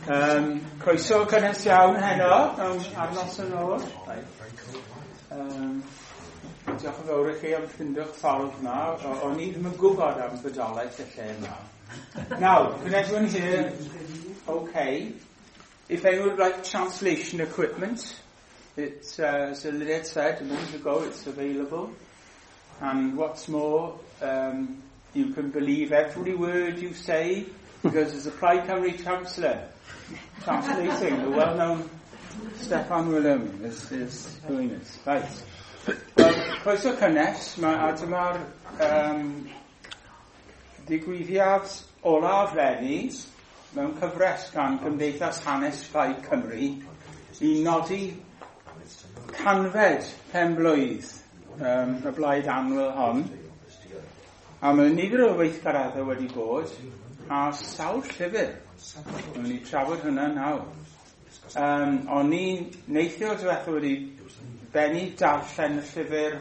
Croeso cynnes iawn heno, mewn ar noson o'r. Diolch yn fawr i chi am ffindio'ch ffordd yma. O'n i ddim yn gwybod am fodolaeth y lle yma. Now, can everyone hear okay? If anyone would like translation equipment, it's, as Lynette said a moment ago, it's available. And what's more, you can believe every word you say, because there's a Plaid Cymru councillor translating, the well-known Steffan William is doing this. Right. Well, croeso cynnes, a dyma'r digwyddiad olaf leni mewn cyfres gan Gymdeithas Hanes Plaid Cymru i nodi 100fed pen-blwydd y blaid annwyl hon. A mae nifer o weithgareddau wedi bod a sawl llyfr. Mae'n ni trafod hwnna nawr. O'n i neithiwr diwethaf wedi bennu darllen y llyfr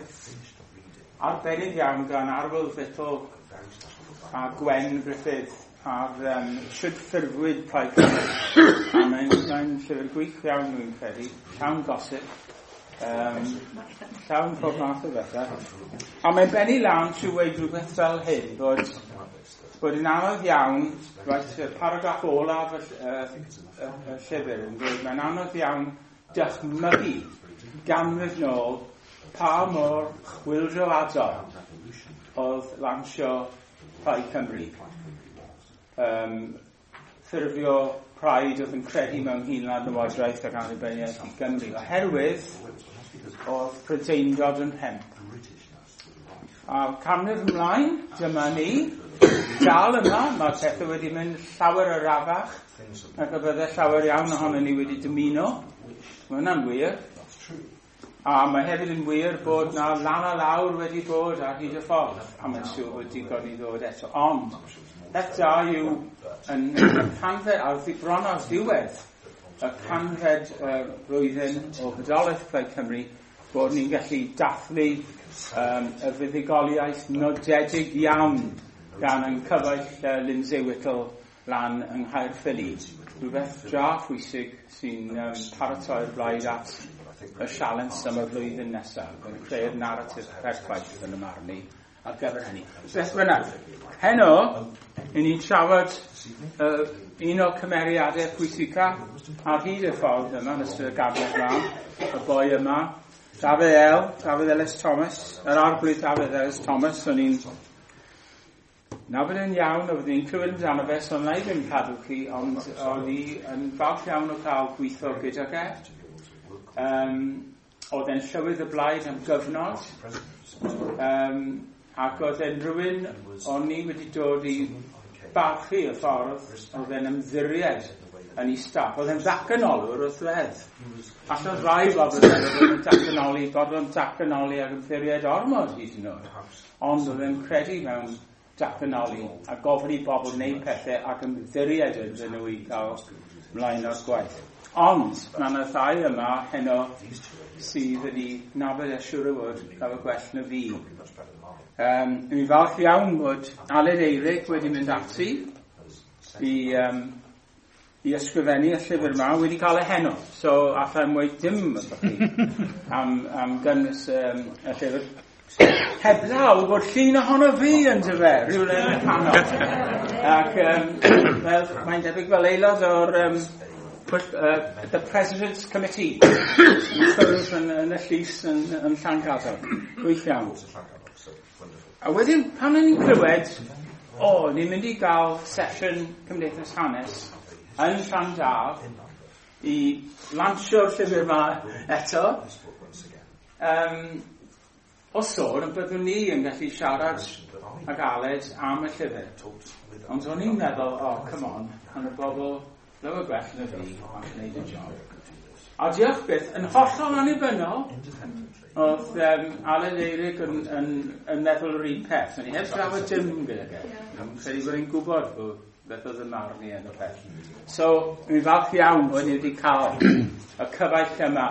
arbennig iawn gan Arwel Vittle a Gwen Griffith ar Shwd ffurfwyd Plaid Cymru. A mae'n llyfr gwych iawn, dwi'n credu. Llawn gossip. Llawn pob math o bethau. A mae'n bennu lan trwy weud rhywbeth fel hyn, bod yn anodd iawn, right, y paragraff olaf y llyfr yn dweud, mae'n anodd iawn dychmygu ganrif nôl pa mor chwyldroadol oedd lansio Plaid Cymru. Ffurfio plaid oedd yn credu mewn hunanlywodraeth ac annibyniaeth i Gymru, oherwydd oedd Prydeindod yn rhemp. A canrif ymlaen, dyma ni, dal yma, mae pethau wedi mynd llawer arafach nag y bydde llawer iawn ohono ni wedi dymuno. Mae hwnna'n wir. A mae hefyd yn wir bod na lan a lawr wedi bod ar hyd y ffordd, a mae'n siŵr bod digon i ddod eto. Ond, peth da yw yn y canfed, ar bron ar ddiwedd y 100fed blwyddyn o fodolaeth Plaid Cymru, bod ni'n gallu dathlu y fuddugoliaeth nodedig iawn gan ein cyfaill Lindsay Whittle lan yng Nghaerffili. Rhywbeth dra phwysig sy'n paratoi'r blaid at y sialens am y flwyddyn nesaf, yn creu'r naratif perffaith yn y marn i ar gyfer hynny. Beth bynnag, heno, i ni'n trafod un o'r cymeriadau pwysica ar hyd y ffordd yma, yn ystod y ganrif yma, y boi yma, Dafydd El, Dafydd Elis Thomas, yr arglwydd Dafydd Elis Thomas, o'n i'n nabod yn iawn, oedd i'n clywed amdano fe, so wna i ddim cadw chi, ond o'n i yn falch iawn o cael gweithio gydag e. Oedd e'n llywydd y blaid am gyfnod, ac oedd e'n rhywun o'n i wedi dod i barchu y ffordd oedd e'n ymddiried yn ei staff. Oedd e'n ddatganolwr wrth reddf. Allan rai bobl yn meddwl bod e'n datganoli, bod o'n datganoli ac ymddiried ormod hyd yn oed. Ond oedd e'n credu mewn datganoli a gofyn i bobl wneud pethau ac ymddiried ynddyn nhw i gael mlaen o'r gwaith. Ond mae yna ddau yma heno sydd wedi nabod e siŵr o fod llawer gwell na fi. Dwi'n falch iawn bod Aled Eirug wedi mynd ati i ysgrifennu y llyfr yma, wedi cael e heno. So allai'm weud dim wrthoch chi am gynnwys y llyfr. Heblaw bod llun ohono fi yn dyfe, rhywle yn y canol. Ac mae'n debyg fel aelod o'r The President's Committee yn cwrdd yn y llys yn Llangadog. Gwych iawn. A wedyn, pan o'n i'n clywed, ni'n mynd i gael sesiwn Cymdeithas Hanes yn Llandaf i lansio'r llyfr yma eto. O sôn, byddwn ni yn gallu siarad ag Aled am y llyfr. Ond o'n i'n meddwl, come on, yn y bobl lawer gwell na fi am gwneud y job. A diolch byth, yn hollol annibynnol, oedd Aled Eirug yn meddwl yr un peth. O'n i heb drafod dim gyda e. Yn credu bod i'n gwybod bod beth oedd y marn i yn y peth. So, dwi'n falch iawn bod ni wedi cael y cyfaill yma.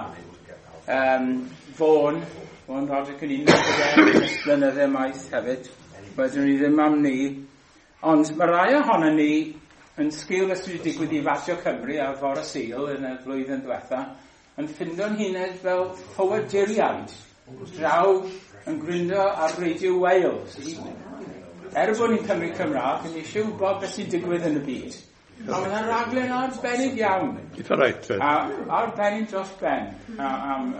Fôn Roderick yn un o'r blynydde maith hefyd. Wedyn ni ddim am ni. Ond mae rai ohono ni yn sgil beth sydd wedi digwydd i Radio Cymru ar fore Sul yn y flwyddyn diwetha, yn ffindo'n hunain fel ffoaduriaid draw yn gryndo ar Radio Wales. Er bod ni'n Cymru Cymraeg, yn eisiau gwybod beth sy'n digwydd yn y byd. A mae yna raglen arbennig iawn. Eitha reit. A arbennig dros ben. A,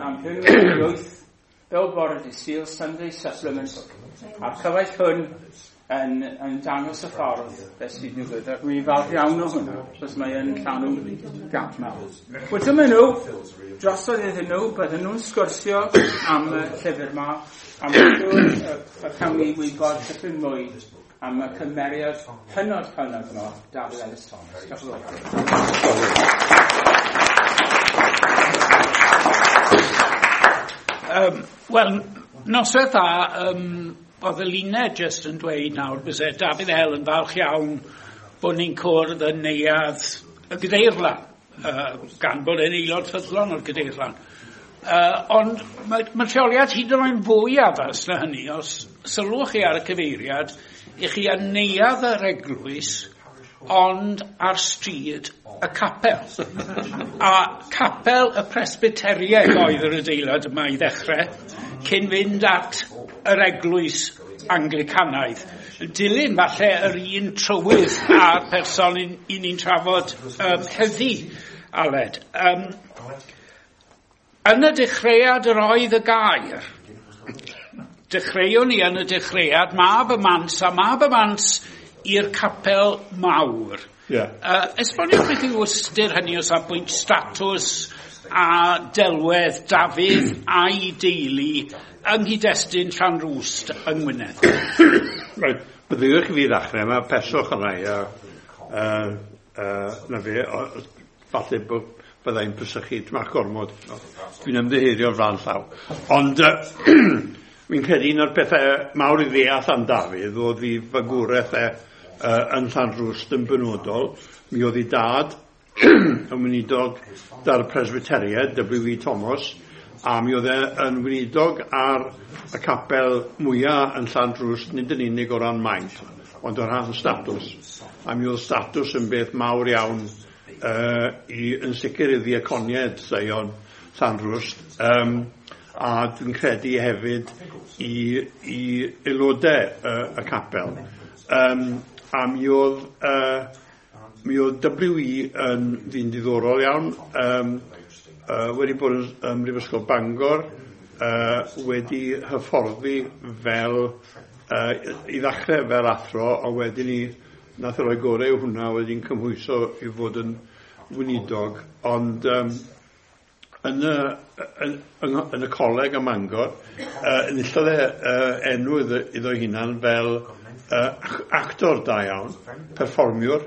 am hyn fel bore dydd Sul, Sunday Supplement. A'r cyfaill hwn yn dangos y ffordd beth sy'n digwydd. Ac mi'n falch iawn o hwnna, achos mae yn llanw gap mawr. Wel, dyma nhw, drosodd iddyn nhw, bydden nhw'n sgwrsio am y llyfr yma, am y cawn ni wybod tipyn mwy am y cymeriad hynod hynod yma, Dafydd Elis Thomas. Diolch yn fawr. Wel, noswaith dda, oedd y Luned jyst yn dweud nawr byse Dafydd El yn falch iawn bod ni'n cwrdd yn neuadd y Gadeirlan, gan bod e'n aelod ffyddlon o'r Gadeirlan. Ond mae lleoliad hyd yn oed fwy addas na hynny, os sylwch chi ar y cyfeiriad, i chi yn neuadd yr eglwys, ond ar stryd y capel. A capel y Presbyteriaid oedd yr adeilad yma i ddechrau, cyn fynd at yr eglwys Anglicanaidd. Dilyn falle yr un trywydd a'r person i ni'n trafod heddi, Aled. Yn y dechreuad yr oedd y gair. Dechreuwn ni yn y dechreuad, mab y mans, a mab y mans i'r capel mawr. Yeah. Esboniwch beth yw ystyr hynny o safbwynt statws a delwedd Dafydd a'i deulu yng nghyd-destun Llanrwst yng Ngwynedd. Right, byddwch i fi ddechrau, mae peswch yna i, na fe, falle byddai'n pysychu tmach gormod. Dwi'n ymddiheurio flaen llaw. Ond fi'n credu un o'r pethau mawr i ddeall am Dafydd oedd i fagwraeth e yn Llanrwst yn benodol. Mi oedd ei dad yn weinidog da'r Presbyteriaid, W.E. Thomas, a mi oedd e yn weinidog ar y capel mwyaf yn Llanrwst, nid yn unig o ran maint, ond o ran statws. A mi oedd statws yn beth mawr iawn yn sicr i ddiaconiaid Seion Llanrwst, a dwi'n credu hefyd i aelodau y capel. A mi oedd W.E. yn ddyn diddorol iawn, wedi bod yn Mhrifysgol Bangor, wedi hyfforddi fel, i ddechrau fel athro, a wedyn ni nath e roi gorau i hwnna, wedi'n cymhwyso i fod yn weinidog, ond yn y coleg ym Mangor, enillodd e enw iddo hunan fel actor da iawn, perfformiwr,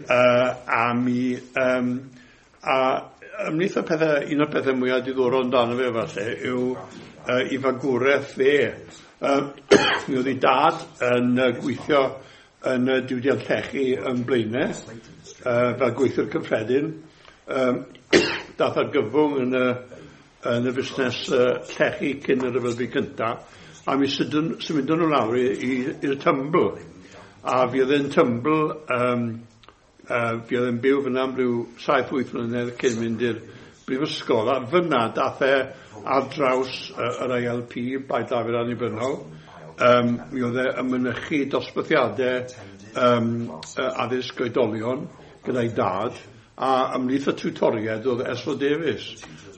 a mi a ymhlith y pethau, un o'r pethau mwyaf diddorol amdano fe falle yw i fagwraeth fe. Mi oedd ei dad yn gweithio yn y diwydiant llechi yn Blaenau, fel gweithiwr cyffredin. Dath ar gyfwng yn y busnes llechi cyn y Rhyfel Byd Cyntaf, a mi symudon nhw lawr i'r Tymbl. A fi oedd e'n Tymbl, fi oedd e'n byw fyna am ryw 7-8 mlynedd cyn mynd i'r brifysgol, a fyna dath e ar draws yr ILP, Blaid Lafur Annibynnol. Mi oedd e yn mynychu dosbarthiadau addysg oedolion gyda'i dad, a ymhlith y tiwtoriaid oedd S.O. Davies.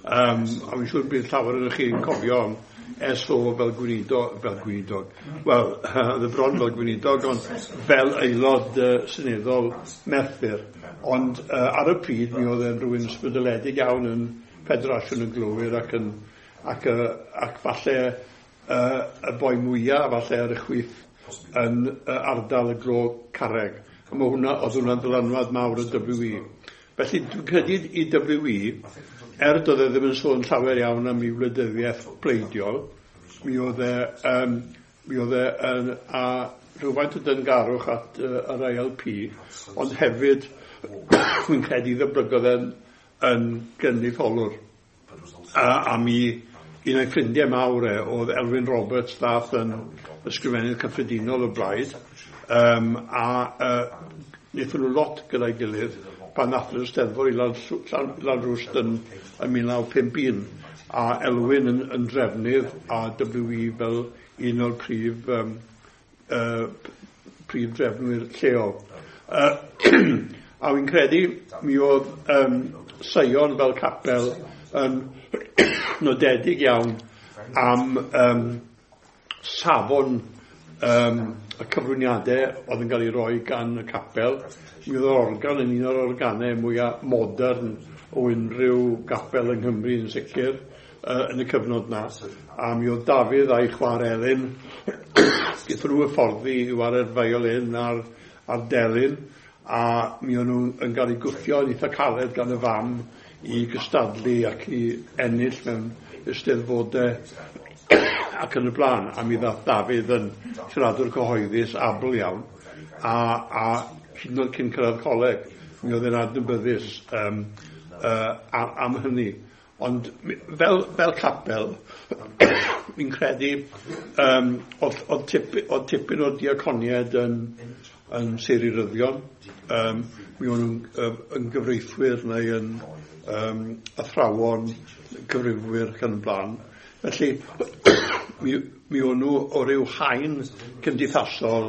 A fi'n siŵr bydd llawer ohonoch chi'n cofio am S.O. fel gweinidog. Wel, oedd e bron fel gweinidog, ond fel aelod seneddol Merthyr. Ond ar y pryd, mi oedd e'n rhywun ysbrydoledig iawn yn Ffederasiwn y Glowyr ac falle y boi mwyaf falle ar y chwith yn ardal y glo carreg. A mae hwnna, oedd hwnna'n ddylanwad mawr y W.E. Felly dwi'n credu i W.E., doedd e ddim yn sôn llawer iawn am ei wleidyddiaeth pleidiol, mi oedd e a rhywfaint o dyngarwch at yr ILP, ond hefyd fi'n credu ddyblygodd e'n yn gynrychiolwr. A mi un o'i ffrindiau mawr e oedd Elwyn Roberts, ddath yn ysgrifennydd cyffredinol o Blaid, a wnaethon nhw lot gyda'i gilydd pan nath nhw'r Steddfod i Lanrwst yn 1951, a Elwyn yn drefnydd a W.E. fel un o'r prif drefnwyr lleol. A wy'n credu mi oedd Seion fel capel yn nodedig iawn am safon y cyflwyniadau oedd yn cael ei roi gan y capel. Mi oedd yr organ yn un o'r organau mwyaf modern o unrhyw gapel yng Nghymru yn sicr yn y cyfnod na. A mi oedd Dafydd a'i chwaer Elin gyda nhw hyfforddi i ware'r violin a'r delyn, a mi o'n nhw yn cael eu gwthio yn eitha caled gan y fam i gystadlu ac i ennill mewn eisteddfodau ac yn y blaen. A mi ddath Dafydd yn siaradwr cyhoeddus abl iawn, a hyd yn oed cyn cyrraedd coleg, mi oedd e'n adnabyddus am hynny. Ond fel capel, fi'n credu oedd tipyn o'r diaconiaid yn seiryryddion. Mi o'n nhw'n yn gyfreithwyr neu yn athrawon, cyfrifwyr ac yn y blaen. Felly, mi o'n nhw o ryw haen cymdeithasol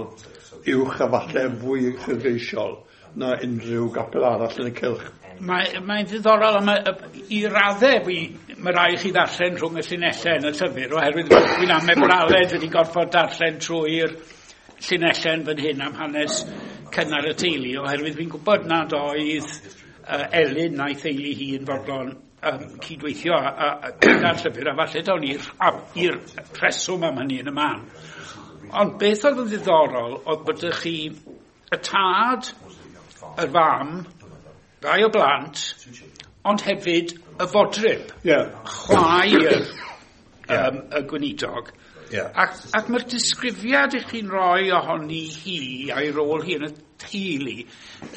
uwch a falle fwy uchelgeisiol na unrhyw gapel arall yn y cylch. Mae'n ddiddorol, i raddau mae rhaid chi ddarllen rhwng y llinellau yn y llyfr, oherwydd dwi'n amau bod Aled wedi gorfod darllen trwy'r llinellau yn fan hyn am hanes cynnar y teulu, oherwydd fi'n gwybod nad oedd Elin na'i theulu hi yn fodlon cydweithio gyda'r llyfr, a falle dawn ni'r rheswm am hynny yn y man. Ond beth oedd yn ddiddorol oedd bod chi y tad, y fam, rai o blant, ond hefyd y fodryb, chwaer y gweinidog. Yeah. Ac mae'r disgrifiad i chi'n rhoi ohoni hi a'i rôl hi yn y teulu,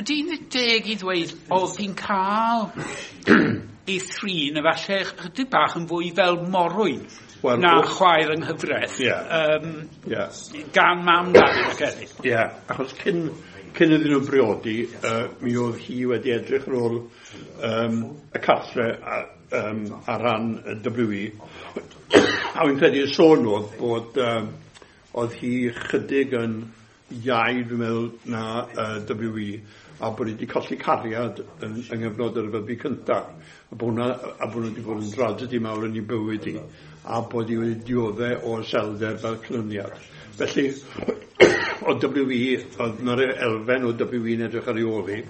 ydy'n deg i ddweud oedd hi'n cael ei thrin efallai chydig bach yn fwy fel morwyn na chwaer yng nghyfraith, gan mam Dafydd ac eraill. Ie, achos cyn iddyn nhw briodi, mi oedd hi wedi edrych ar ôl y cartre ar ran y W.E. A wy'n credu y sôn oedd bod oedd hi chydig yn iau, dwi'n meddwl, na W.E. a bod hi wedi colli cariad yng nghyfnod yr rhyfel byd cyntaf, a bod hwnna wedi bod yn dragedy mawr yn ei bywyd hi, a bod hi wedi dioddef o iselder fel canlyniad. Felly, o W.E., oedd na'r elfen o W.E. yn edrych ar ei ôl hi.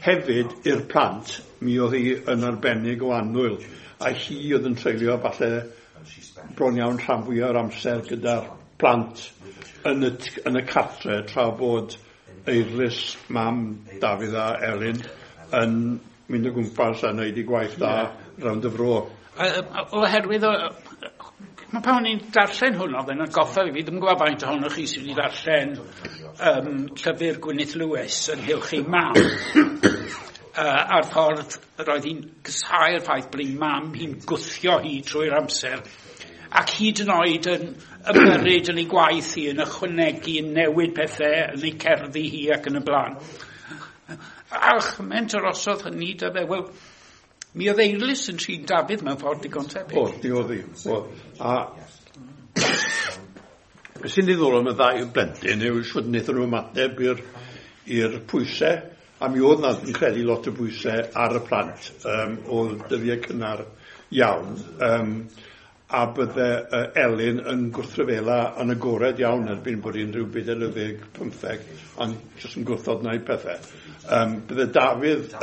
Hefyd, i'r plant, mi oedd hi yn arbennig o annwyl, a hi oedd yn treulio falle bron iawn rhan fwyaf o'r amser gyda'r plant yn y cartre, tra bod Eirlys, mam Dafydd a Elin, yn mynd o gwmpas a wneud ei gwaith da rownd y fro. Oherwydd, mae pan o'n i'n darllen hwn oedd yn atgoffa fi, ddim yn gwybod faint ohonoch chi sydd wedi darllen llyfr Gwyneth Lewis ynghylch ei mam. A'r ffordd roedd hi'n casáu'r ffaith bod ei mam hi'n gwthio hi trwy'r amser, ac hyd yn oed yn ymyrryd yn ei gwaith hi, yn ychwanegu, yn newid pethau, yn ei cerddi hi ac yn y blaen. A chymaint arosodd hynny da fe, wel, mi oedd Eirlys yn trin Dafydd mewn ffordd digon tebyg. O, di oedd hi. A beth sy'n ddiddorol am y ddau blentyn yw shwt wnaethon nhw ymateb i'r pwysau, a mi oedd na, fi'n credu, lot o bwysau ar y plant o dyddiau cynnar iawn, a bydde Elin yn gwrthryfela yn agored iawn erbyn bod hi'n rhyw 14, 15, ond jyst yn gwrthod wneud pethau. Bydde Dafydd,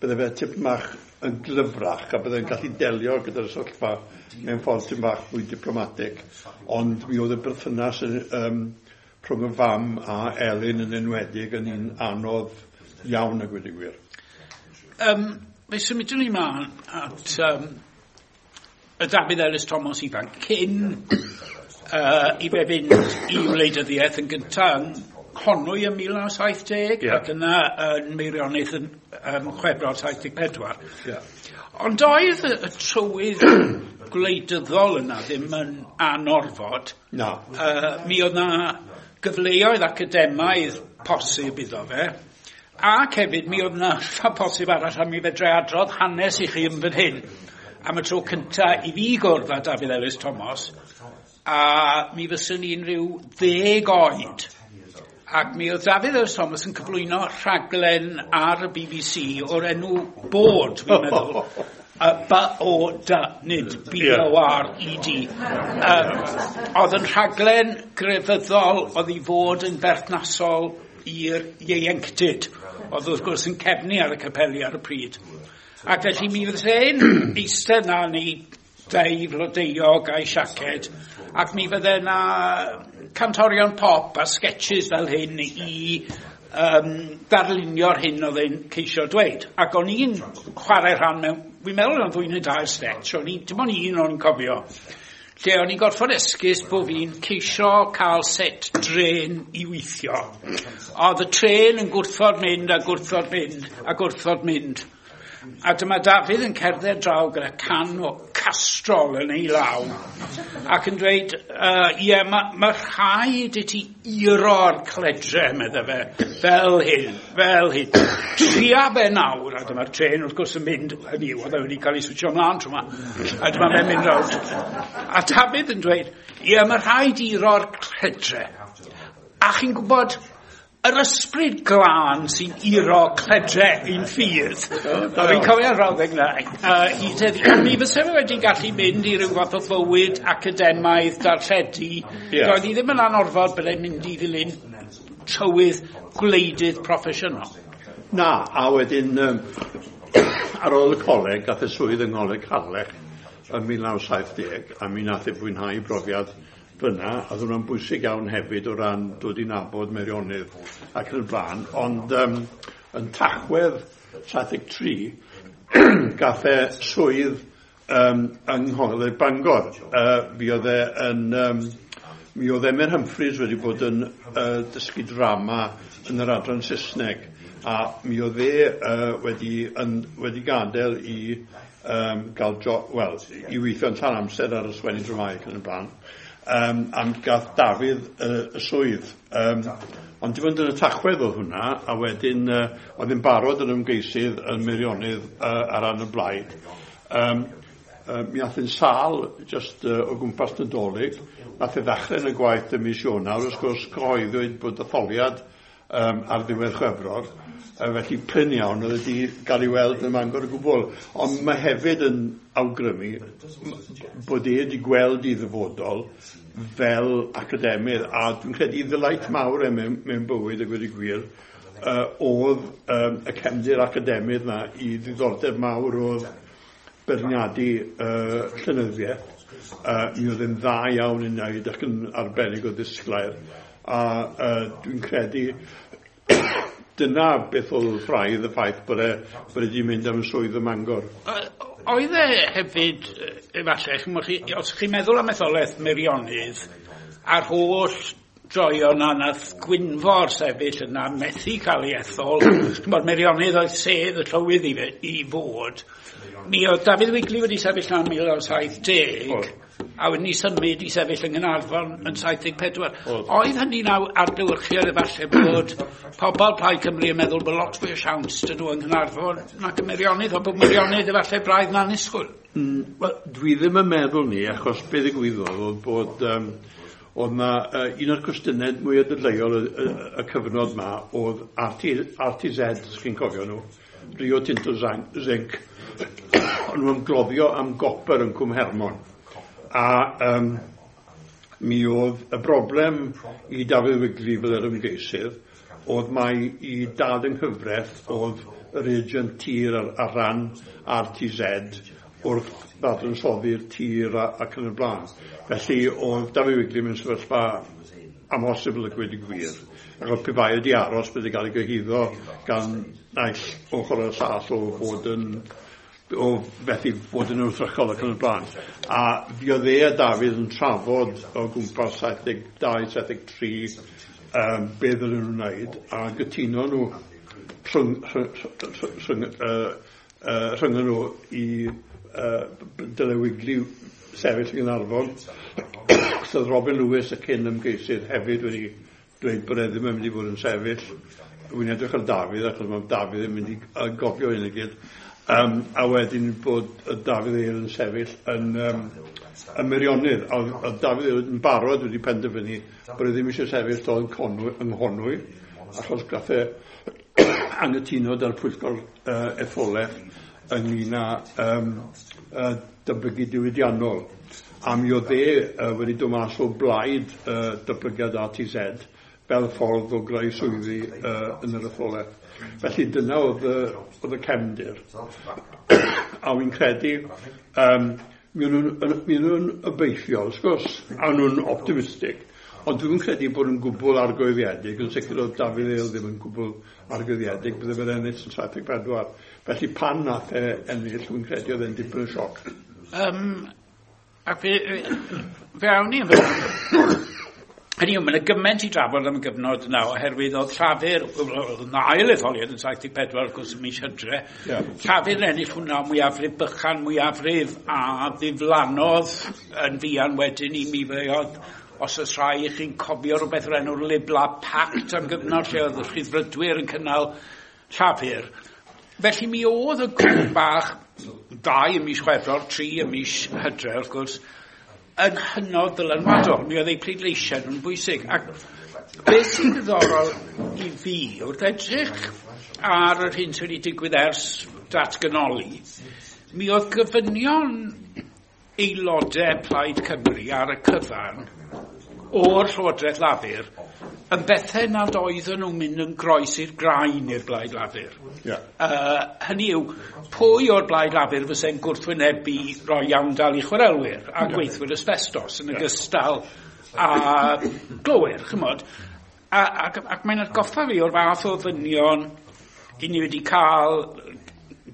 bydde fe tipyn bach yn glyfrach, a bydde'n gallu delio gyda'r sefyllfa mewn ffordd tipyn bach fwy diplomatig, ond mi oedd y berthynas rhwng y fam a Elin yn enwedig yn un anodd iawn a gweud y gwir. Fe symudwn ni mlaen at y Dafydd Elis Thomas ifanc, cyn i fe fynd i wleidyddiaeth yn gyntaf yng Nghonwy ym 1970, ac yna yn Meirionnydd yn Chwefror 74. Yeah. Ond oedd y trywydd gwleidyddol yna ddim yn anorfod. No. Mi oedd na gyfleoedd academaidd posib iddo fe. Ac hefyd, mi oedd yna posib arall a mi fedrai adrodd hanes i chi yn fan hyn am y tro cynta i fi gwrdd â Dafydd Elis Thomas, a mi fyswn i'n rhyw 10 oed. Ac mi oedd Dafydd Elis Thomas yn cyflwyno rhaglen ar y BBC o'r enw Bod, fi'n meddwl. B-O-D, nid B-O-R-E-D. Oedd yn rhaglen grefyddol oedd i fod yn berthnasol i'r ieuenctid. Oedd wrth gwrs yn cefnu ar y capeli ar y pryd. Ac felly mi fydd e'n eistedd na ni dei flodeuog a'i siaced, ac mi fydde na cantorion pop a sketches fel hyn i darlunio'r hyn oedd e'n ceisio dweud. Ac o'n i'n chwarae rhan mewn, fi'n meddwl o'n ddwy neu dair sketch, o'n i, dim ond un o'n i'n cofio, lle o'n i'n gorfod esgus bod fi'n ceisio cael set dren i weithio. Oedd y tren yn gwrthod mynd a gwrthod mynd a gwrthod mynd. A dyma Dafydd yn cerdded draw gyda can o Castrol yn ei law ac yn dweud, ie, ma rhaid i ti iro'r cledre, medde fe, fel hyn, fel hyn. Tria fe nawr, a dyma'r tren wrth gwrs yn mynd, hynny yw, oedd e wedi cael ei switio ymlaen tro 'ma, a dyma fe'n mynd rownd. A Dafydd yn dweud, ie, mae rhaid iro'r cledre. A chi'n gwybod, yr ysbryd glân sy'n iro cledre i'n ffydd. A fi'n cofio'r frawddeg 'na. Mi fyse fe wedi gallu mynd i ryw fath o fywyd academaidd darlledu. Yeah. Doedd hi ddim yn anorfod byddai'n mynd i ddilyn trywydd gwleidydd proffesiynol. Na, a wedyn ar ôl y coleg, gath e swydd yng Ngholeg Harlech yn 1970, a mi nath e fwynhau brofiad fyna, a oedd hwnna'n bwysig iawn hefyd o ran dod i nabod Meirionnydd ac yn y blaen, ond yn Tachwedd 73 gath e swydd yng Ngholeg Bangor. Mi oedd e yn mi oedd Emyr Humphreys wedi bod yn dysgu drama yn yr adran Saesneg, a mi oedd e wedi gadael i gael i weithio yn llawn amser ar y sgwennu dramâu ac yn y blaen. Am gath Dafydd y swydd. Ond dim ond yn y Tachwedd oedd hwnna, a wedyn oedd yn barod yn ymgeisydd yn Meirionnydd ar ran y blaid. Mi ath yn sâl just o gwmpas Nadolig. Nath e ddechrau yn y gwaith ym mis Ionawr, wrth gwrs cyhoeddwyd bod etholiad ar ddiwedd Chwefror, felly prin iawn oedd wedi gael ei weld yn Mangor o gwbl. Ond mae hefyd yn awgrymu bod e wedi gweld ei ddyfodol fel academydd, a dwi'n credu ddelight mawr e mewn bywyd a gweud y gwir, oedd y cefndir academydd na i ddiddordeb mawr oedd beirniadu llenyddiaeth. Mi oedd e'n dda iawn yn wneud ac yn arbennig o ddisglair, a dwi'n credu dyna beth oedd braidd y ffaith bod e wedi mynd am y swydd ym Mangor. Oedd e hefyd, efallai, os chi'n meddwl am etholaeth Meirionnydd, a'r holl droion na nath Gwynfor sefyll yna methu cael ei ethol, ch'mod, Meirionnydd oedd sedd y llywydd i fod. Mi oedd Dafydd Wigley wedi sefyll yna yn 1970, a wedyn ni symud i sefyll yng Nghaernarfon yn 74. Oedd hynny'n adlewyrchiad efallai bod pobl Plaid Cymru yn meddwl bod lot fwy o siawns dyn nhw yng Nghaernarfon nac ym Meirionnydd, ond bod Meirionnydd efallai braidd yn annisgwyl. Wel, dwi ddim yn meddwl ni, achos beth ddigwyddodd oedd bod oedd na un o'r cwestiynau mwyaf dadleuol y cyfnod ma oedd RTZ, os chi'n cofio nhw, Rio Tinto Zinc, o'n nhw'n gloddio am gopr yn Cwm Hermon. A mi oedd y broblem i Dafydd Wigley fel yr ymgeisydd oedd mai i dad yng nghyfraith oedd yr agent tir ar ran RTZ wrth ddadansoddi'r tir ac yn y blaen. Felly oedd Dafydd Wigley mewn sefyllfa amhosibl a gweud y gwir. Ac oedd pe bai wedi aros bydde gael ei gyhuddo gan naill ochr o'r llall o fod yn o fethu fod yn wrthrychol ac yn y blaen. A fi oedd e a Dafydd yn trafod o gwmpas 72, 73 be ddylen nhw'n wneud, a gytuno nhw rhwng nhw i dyle Wigley sefyll yng Nghaernarfon. So oedd Robin Lewis y cyn ymgeisydd hefyd wedi dweud bod e ddim yn mynd i fod yn sefyll. Wy'n edrych ar Dafydd, achos mae Dafydd yn mynd i gofio hyn i gyd. A wedyn bod Dafydd Eil yn sefyll yn Meirionnydd. A oedd Dafydd Eil yn barod wedi penderfynu bod e ddim eisiau sefyll to yn Nghonwy, achos gath e anghytuno da'r pwyllgor etholaeth ynglyn â datblygu diwydiannol. A mi oedd e wedi dod mas o blaid datblygiad ATZ fel ffordd o greu swyddi yn yr etholaeth. Felly dyna oedd y cefndir. A wy'n credu, mi nhw'n obeithiol, wrth gwrs, a nhw'n optimistig. Ond dwi'n credu bod nhw'n gwbl argyhoeddiedig, yn sicr oedd Dafydd Eil ddim yn gwbl argyhoeddiedig, bydde fe'n ennill yn 74. Felly pan nath e ennill, dwi'n credu oedd e'n dipyn o sioc. Ac fe awn ni yn fy... Hynny yw, mae'n gymaint i drafod am y gyfnod yna, oherwydd oedd Llafur, oedd yn ail etholiad yn 74, wrth gwrs, ym mis Hydre. Yeah. Llafur yn ennill hwnna mwyafrif bychan, mwyafrif a ddiflannodd yn fuan wedyn i mi fe oedd, os oes rhai i chi'n cofio rhywbeth o'r enw'r Lib-Lab Pact am gyfnod lle oedd y Rhyddfrydwyr yn cynnal Llafur. Felly mi oedd y grŵp bach, 2 ym mis Chwefror, 3 ym mis Hydre, wrth gwrs, yn hynod ddylanwadol. Mi oedd eu pleidleisiau nhw'n bwysig. Ac beth sy'n ddiddorol i fi, wrth edrych ar yr hyn sydd wedi digwydd ers datganoli, mi oedd gofynion aelodau Plaid Cymru ar y cyfan o'r Llywodraeth Lafur yn bethau nad oedden nhw'n mynd yn groes i'r graen i'r Blaid Lafur. Yeah. Hynny yw, pwy o'r Blaid Lafur fyse'n gwrthwynebu roi iawndal i chwarelwyr a gweithwyr asbestos yn ogystal â glowyr, chymod? Ac mae'n atgoffa fi o'r fath o ddynion i ni wedi cael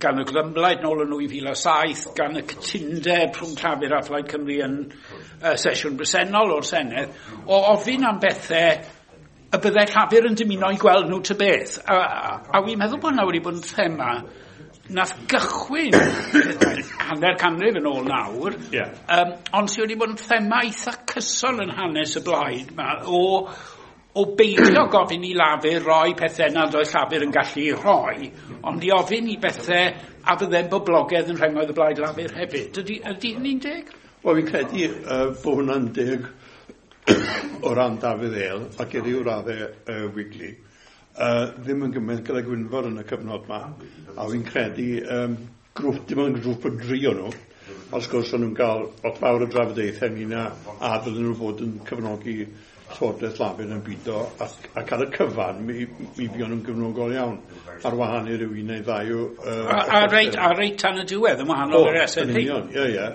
gan y Glymblaid nôl yn 2007, gan y cytundeb rhwng Llafur a Phlaid Cymru yn sesiwn bresennol o'r Senedd, o ofyn am bethau y byddai Llafur yn dymuno i gweld nhw ta beth. A wi'n meddwl bod hwnna wedi bod yn thema nath gychwyn hanner canrif yn ôl nawr, ond sydd wedi bod yn thema eitha cyson yn hanes y blaid ma, o beidio gofyn i Lafur roi pethau nad oedd Llafur yn gallu rhoi, ond i ofyn i bethau a fyddai'n boblogaidd yn rhengoedd y Blaid Lafur hefyd. Ydy hynny'n deg? Wel, fi'n credu bod hwnna'n deg o ran Dafydd Eil ac i ryw raddau Wigley. Ddim yn gymaint gyda Gwynfor yn y cyfnod ma, a fi'n credu grŵp, dim ond grŵp o dri o nhw, wrth gwrs o'n nhw'n cael lot fawr o drafodaethau ynglyn â a fydden nhw fod yn cefnogi Llywodraeth Lafur yn bwydo, ac ar y cyfan mi fuon nhw'n gefnogol iawn ar wahan i ryw un neu ddau o... A reit tan y diwedd yn wahanol i'r SNP. Ie, ie.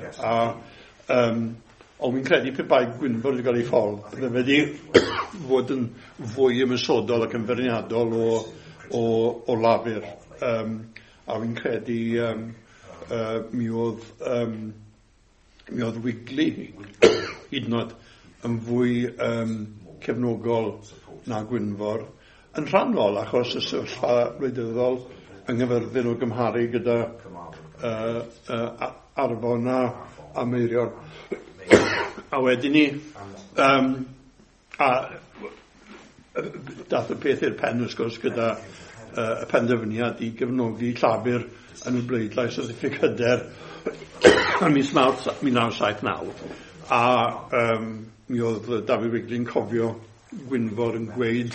Ond fi'n credu pe bai Gwynfor wedi cael ei ffordd, bydde fe wedi fod yn fwy ymosodol ac yn feirniadol o Lafur. A fi'n credu mi oedd Wigley hyd yn oed yn fwy cefnogol na Gwynfor, yn rhannol achos y sefyllfa wleidyddol yng Nghaerfyrddin o gymharu gyda Arfon a Meirion. A wedyn ni, a dath y peth i'r pen wrth gwrs gyda y penderfyniad i gefnogi Llafur yn y bleidlais o ddiffyg hyder ym mis Mawrth 1979. A mi oedd Dafydd Wigley'n cofio Gwynfor yn gweud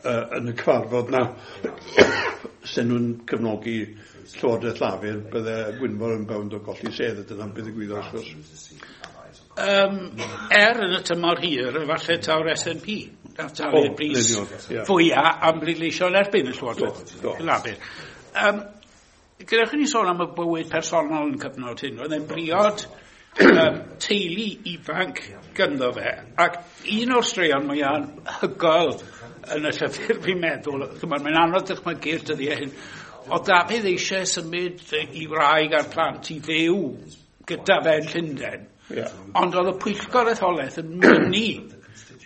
yn y cyfarfod na sen nhw'n cefnogi Llywodraeth Lafur, bydde Gwynfor yn bownd o golli sedd, a dyna'n beth ddigwyddodd wrth gwrs. Yn y tymor hir, efallai taw'r SNP, nath talu'r bris fwyaf am bleidleisio yn erbyn y Llywodraeth Lafur. Gadewch i ni sôn am y bywyd personol yn cyfnod hyn. Oedd e'n briod teulu ifanc gynddo fe, ac un o'r straeon mwyaf anhygoel yn y llyfr fi'n meddwl, mae'n anodd dychmygu'r dyddiau hyn, oedd Dafydd eisiau symud i wraig a'r plant i fyw gyda fe yn Llundain. Yeah. Ond oedd y pwyllgor etholaeth yn mynnu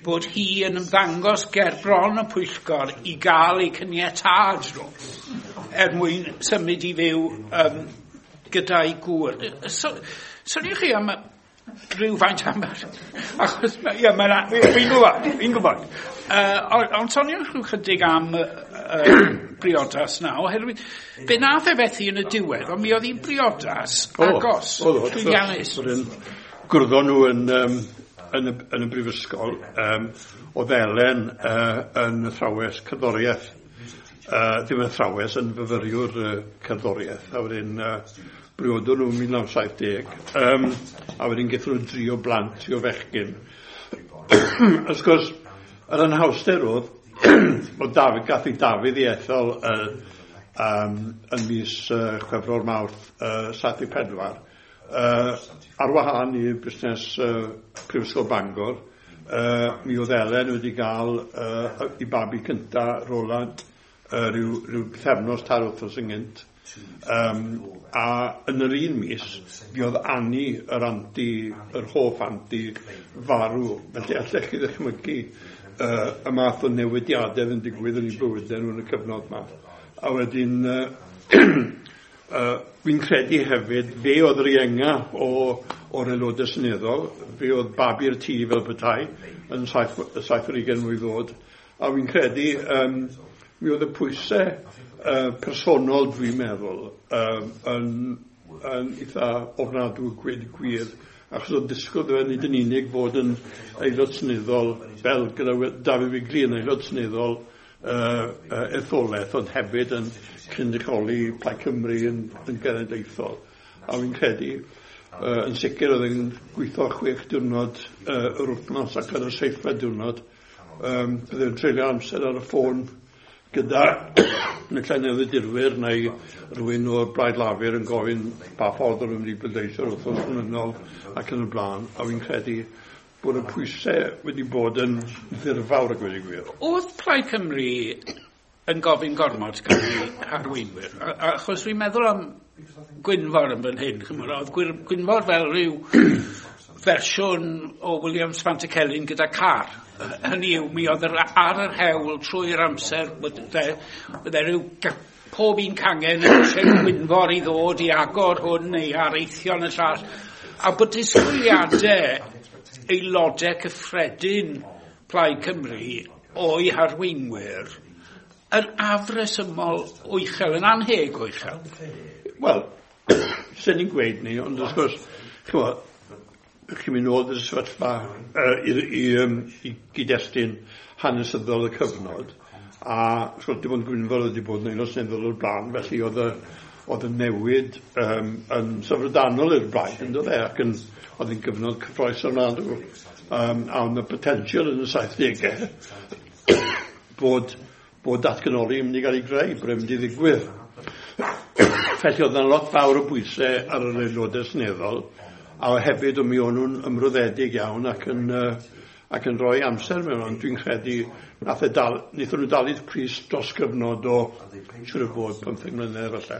bod hi yn ymddangos ger bron y pwyllgor i gael ei caniatâd nhw er mwyn symud i fyw gyda'i gŵr. Soniwch chi am rhywfaint am... Achos, ie, fi'n gwybod. Ond soniwch rhyw chydig am briodas na, oherwydd fe nath e fethu yn y diwedd, ond mi oedd hi'n briodas agos, llwyddiannus. Gwrddon nhw yn y brifysgol, oedd Elen yn athrawes cerddoriaeth, ddim yn athrawes, yn fyfyriwr cerddoriaeth, a wedyn briodon nhw 1970, a wedyn gaethon nhw 3 o blant, 3 o fechgyn. Wrth gwrs, yr anhawster oedd, oedd Dafydd, gath ei Dafydd i ethol yn mis Chwefror Mawrth 74, ar wahân i busnes Prifysgol Bangor, mi oedd Elen wedi gael i babi cynta, Roland, rhyw pythefnos 3 wythnos ynghynt. A yn yr un mis, mi oedd Annie, yr hoff anti, farw. Felly allech chi ddychmygu y math o newidiadau yn digwydd yn eu bywydau nhw yn y cyfnod yma. A wedyn, fi'n credu hefyd, fe oedd yr ienga o'r aelodau seneddol, fe oedd babi'r tŷ fel petai, yn 27 mlwydd oed. A fi'n credu, mi oedd y pwysau personol, dwi'n meddwl, yn eitha ofnadwy gweud y gwir, achos oedd disgwyl fe nid yn unig fod yn aelod seneddol, fel gyda Dafydd Wigley yn aelod seneddol etholaeth, ond hefyd yn cynrychioli Plaid Cymru yn genedlaethol. A fi'n credu, yn sicr oedd yn gweithio 6 diwrnod yr wythnos ac ar y 7fed diwrnod, byddai'n treulio amser ar y ffôn gyda neu newyddirwyr neu rhywun o'r Blaid Lafur yn gofyn pa ffordd o'n nhw'n mynd i bleidleisio wythnos canlynol ac yn y blaen, a fi'n credu bod y pwysau wedi bod yn ddirfawr a gweud y gwir. Oedd Plaid Cymru yn gofyn gormod gan ei harweinwyr? Achos fi'n meddwl am Gwynfor yn fan hyn, chymod, oedd Gwynfor fel rhyw fersiwn o Williams Pantycelyn gyda car. Hynny yw, mi oedd ar yr hewl trwy'r amser, bydde rhyw pob un cangen yn eisiau Gwynfor i ddod i agor hwn neu areithio yn y llall. A bod disgwyliadau aelodau cyffredin Plaid Cymru o'i harweinwyr yn afresymol o uchel, yn anheg o uchel. Wel, sy'n ni'n gweud ni, ond wrth gwrs, ch'mod, chi'n mynd nôl i'r sefyllfa i gyd-destun hanesyddol y cyfnod, a wrth gwrs dim ond Gwynfor wedi bod yn aelod seneddol o'r blaen, felly oedd y newid yn syfrdanol i'r blaid, yn dod e, ac oedd yn gyfnod cyffrous ofnadwy, a oedd y potensial yn y 70au bod datganoli yn mynd i gael ei greu, bod e'n mynd i ddigwydd. Felly oedd yna lot fawr o bwysau ar yr aelodau seneddol, a hefyd mi o'n nhw'n ymroddedig iawn ac yn rhoi amser mewn, ond dwi'n credu wnaethon nhw dalu'r pris dros gyfnod o siŵr o fod 15 mlynedd falle.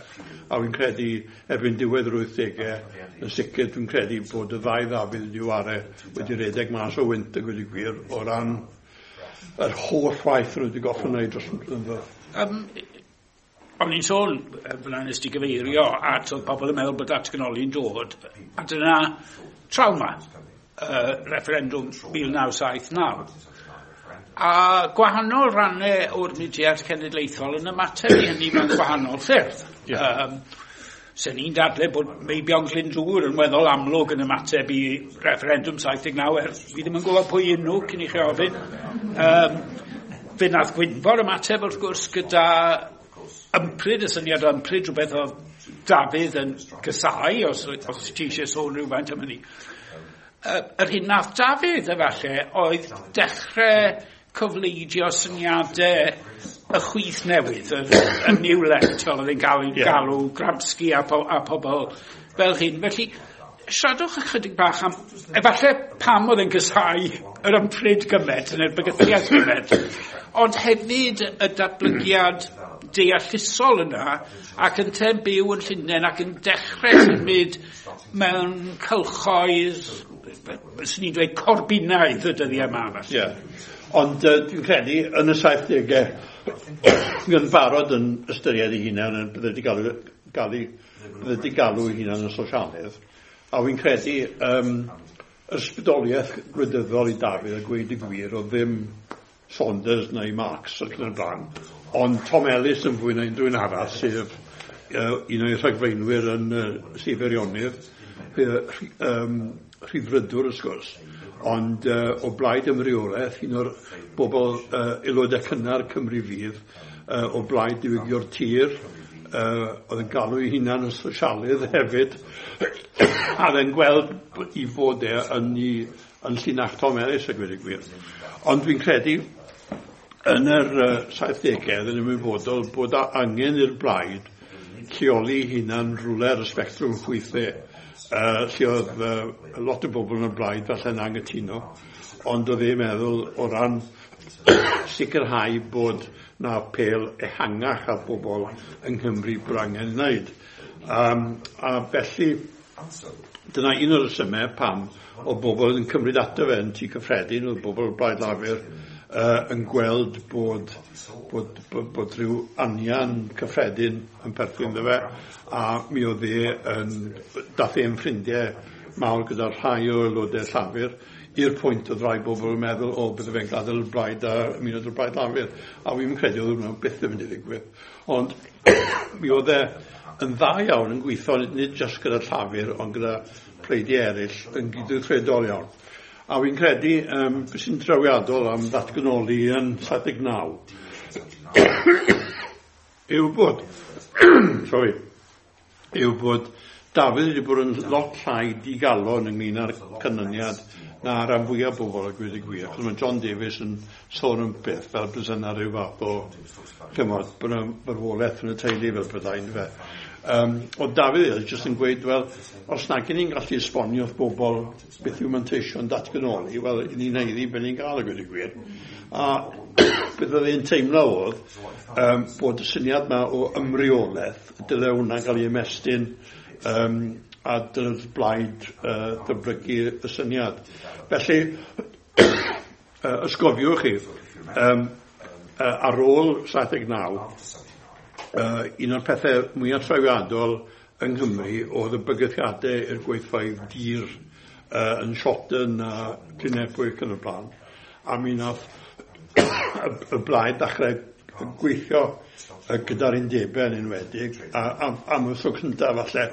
A fi'n credu erbyn diwedd yr 80au, yn sicr dwi'n credu bod y ddau Ddafydd wedi ware wedi redeg mas o wynt a gweud y gwir o ran yr holl waith nhw wedi gorfod wneud dros y blynyddoedd. O'n i'n sôn, fel nes ti gyfeirio, at oedd pobl yn meddwl bod datganoli'n dod, a dyna trawma, referendwm 1979. A gwahanol rannau o'r mudiad cenedlaethol yn ymateb i hynny mewn gwahanol ffyrdd. Yeah. Sen ni'n dadle bod Meibion Glyndŵr yn weddol amlwg yn ymateb i referendwm 79, er fi ddim yn gwybod pwy y'n nhw cyn i chi ofyn. Fe nath Gwynfor ymateb wrth gwrs gyda ympryd, y syniad o ympryd, rhywbeth oedd Dafydd yn cysau, os ti eisiau sôn rhywfaint am hynny. Yr hyn nath Dafydd, efallai, oedd dechrau cyfleidio syniadau y chwith newydd, y New Left, fel oedd e'n gael ei galw, Gramsci a pobl fel hyn. Felly, siaradwch ychydig bach am, efallai pam oedd e'n cysau yr ympryd gymaint, neu'r bygythiad gymaint, ond hefyd y datblygiad deallusol yna, ac yn byw yn Llundain ac yn dechrau symud mewn cylchoedd, swn i'n dweud corbinaidd y dyddiau yma. Yeah. Ond dwi'n credu yn y 70au, yn barod yn ystyried ei hunan, yn bydde wedi galw ei hunan yn sosialydd, a fi'n credu ysbrydoliaeth gwleidyddol i Dafydd a gweud y gwir oedd ddim Saunders neu Marx ac yn y blaen, Ond Tom Ellis yn fwy na unrhyw un arall, sef un o'i rhagflaenwyr yn Sir Feirionnydd, rhyddfrydwr wrth gwrs, ond o blaid ymreolaeth, un o'r bobl aelodau cynnar Cymru Fydd, o blaid diwygio'r tir, oedd yn galw ei hunan yn sosialydd hefyd, a oedd e'n gweld i fod e yn, i, yn llinach Tom Ellis a gweud y gwir. Ond dwi'n credu yn yr 70au yn ymwybodol bod angen i'r blaid lleoli hunan rhywle ar y sbectrwm chwithe, lle oedd lot o bobl yn y blaid falle'n angytuno, ond oedd e'n meddwl o ran sicrhau bod na apêl ehangach ar bobl yng Nghymru bod angen wneud. A felly, dyna un o'r rhesymau pam oedd bobl yn cymryd ato fe yn tŷ cyffredin, oedd bobl o'r Blaid Lafur yn gweld bod, bod, bod, bod rhyw anian cyffredin yn perthyn iddo fe, a mi oedd e yn, dath e'n ffrindiau mawr gyda rhai o aelodau Llafur, i'r pwynt oedd rai bobl yn meddwl, o, bydde fe'n gadael y blaid a ymuno â'r Blaid Lafur. A fi'n credu oedd hwnna byth yn mynd i ddigwydd. Ond mi oedd e yn dda iawn yn gweithio, nid jyst gyda Llafur, ond gyda pleidiau eraill yn gydweithredol iawn. A fi'n credu, beth sy'n trawiadol am ddatganoli yn 79, yw bod, sorry, yw bod Dafydd wedi bod yn lot llai digalon ynglyn â'r canlyniad na ran fwyaf bobl a gweud y gwir. Achos mae John Davies yn sôn am beth fel bys yna rhyw fath o, chymod, bod yna farwolaeth yn y teulu fel byddai, yndyfe. Oedd Dafydd Elis jyst yn gweud, wel, os nag ni'n gallu esbonio wrth bobl beth yw manteision datganoli, wel, ni'n haeddu beth ni'n gael a gweud y gwir. A beth oedd e'n teimlo oedd bod y syniad yma o ymreolaeth, dyle hwnna gael ei ymestyn a dyle'r blaid ddatblygu y syniad. Felly, ysgofiwch chi, ar ôl 79, un o'r pethau mwyaf trawiadol yng Nghymru oedd y bygythiadau i'r gweithfeydd dur yn Shotton a Glynebwy yn y blaen. A mi nath y blaid ddechrau gweithio gyda'r undebau yn enwedig, a am y tro cyntaf falle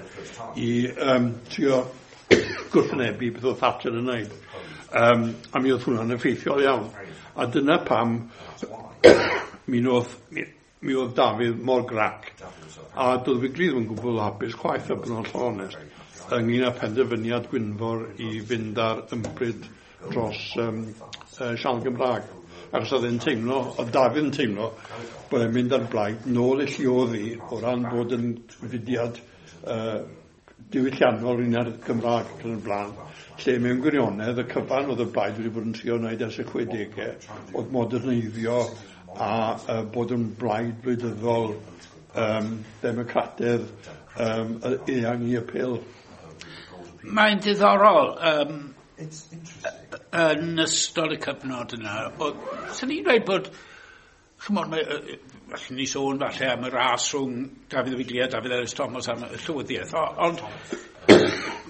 i trio gwrthwynebu beth oedd Thatcher yn wneud. A mi oedd hwnna'n effeithiol iawn. A dyna pam mi oedd Dafydd mor grac. A doedd Wigley ddim yn gwbl hapus chwaith, a bod yn hollol onest, ynglyn â penderfyniad Gwynfor i fynd ar ympryd dros sianel Gymraeg. Achos oedd e'n teimlo, oedd Dafydd yn teimlo, bod e'n mynd ar blaid nôl i llioddi o ran bod yn fudiad diwylliannol un ar Gymraeg ac yn y blaen, lle mewn gwirionedd y cyfan oedd y blaid wedi bod yn trio wneud ers y 60au, oedd moderneiddio a bod yn blaid wleidyddol democrataidd eang i apêl. Mae'n diddorol, yn ystod y cyfnod yna, sy'n ni'n dweud bod, chymod, allwn ni sôn falle am y ras rhwng Dafydd Wigley a Dafydd Elis Thomas am y llywyddiaeth, ond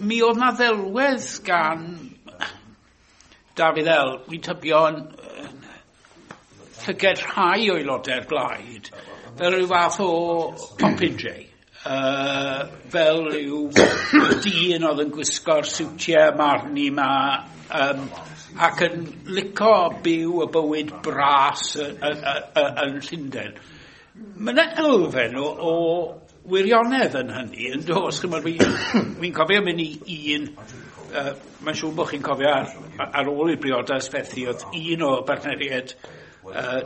mi oedd na ddelwedd gan Dafydd El, wy'n tybio yn llyged rhai o aelodau'r blaid, fel rhyw fath o popinjay. Fel yw dyn oedd yn gwisgo'r siwtiau marni ma, ac yn lico byw y bywyd bras yn Llundain. Mae yna elfen o wirionedd yn hynny, yn does? Chimod, fi'n cofio mynd i un, mae'n siŵr bod chi'n cofio ar ôl i'r briodas fethu, oedd un o bartneriaid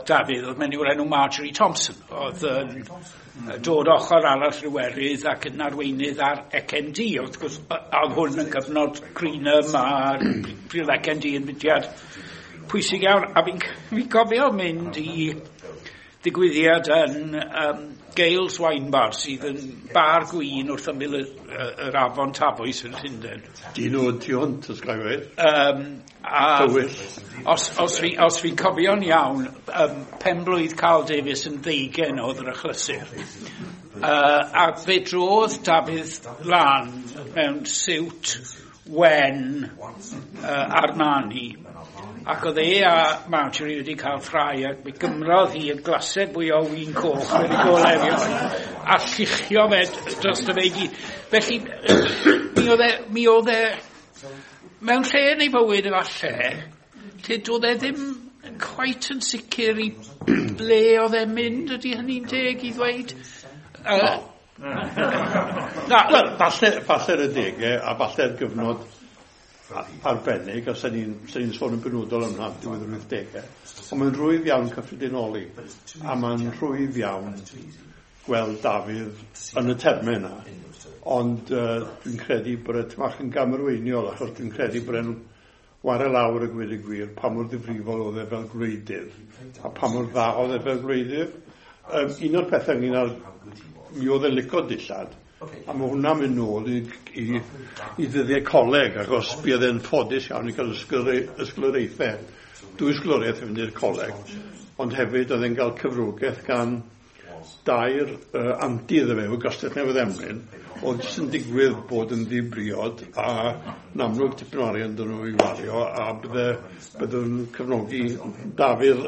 Dafydd, oedd menyw o'r enw Marjorie Thompson, oedd yn dod ochr arall Iwerydd ac yn arweinydd ar ECND. Wrth gwrs, oedd hwn yn cyfnod Greenham a pryd oedd ECND yn fudiad pwysig iawn. A fi'n cofio mynd i ddigwyddiad yn Gales Wine Bar, sydd yn bar gwin wrth ymyl yr afon Tafwys yn Llundain. Dyn nhw tu hwnt, os gael gweud. Tywyll. Os fi'n cofio'n iawn, penblwydd Carl Davies yn 20 oedd yr achlysur. A fe drodd Dafydd lan mewn siwt wen Armani, ac oedd e a Marjorie wedi cael ffrae, ac mi gymrodd hi y glased fwy o win coch wedi golau erioed, a lluchio fe dros y fe i gyd. Felly, mi oedd e, mewn lle yn ei fywyd efallai, lle doedd e ddim quite yn sicr i ble oedd e'n mynd, ydy hynny'n deg i ddweud? Na, wel, falle'r adegau a falle'r gyfnod arbennig, a sy'n ni'n sôn yn benodol am hwnna diwedd yr 80au, ond mae'n rhwydd iawn cyffredinoli, a mae'n rhwydd iawn gweld Dafydd yn y termau yna, ond dwi'n credu bod e tipyn bach yn gamarweiniol, achos dwi'n credu bod e'n ware lawr y gweud y gwir pa mor ddifrifol oedd e fel gwleidydd, a pa mor dda oedd e fel gwleidydd. Un o'r pethau ynglyn â'r mi oedd e'n licio dillad, a mae hwnna'n mynd nôl i ddyddiau coleg, achos buodd e'n ffodus iawn i gael ysgoloriaethau, 2 ysgoloriaeth i fynd i'r coleg, ond hefyd oedd e'n cael cyfrogaeth gan dair anti iddo fe o Gastell Newydd Emlyn, oedd jyst yn digwydd bod yn ddibriod a yn amlwg tipyn o arian dyn nhw i wario, a bydde nhw'n cefnogi Dafydd.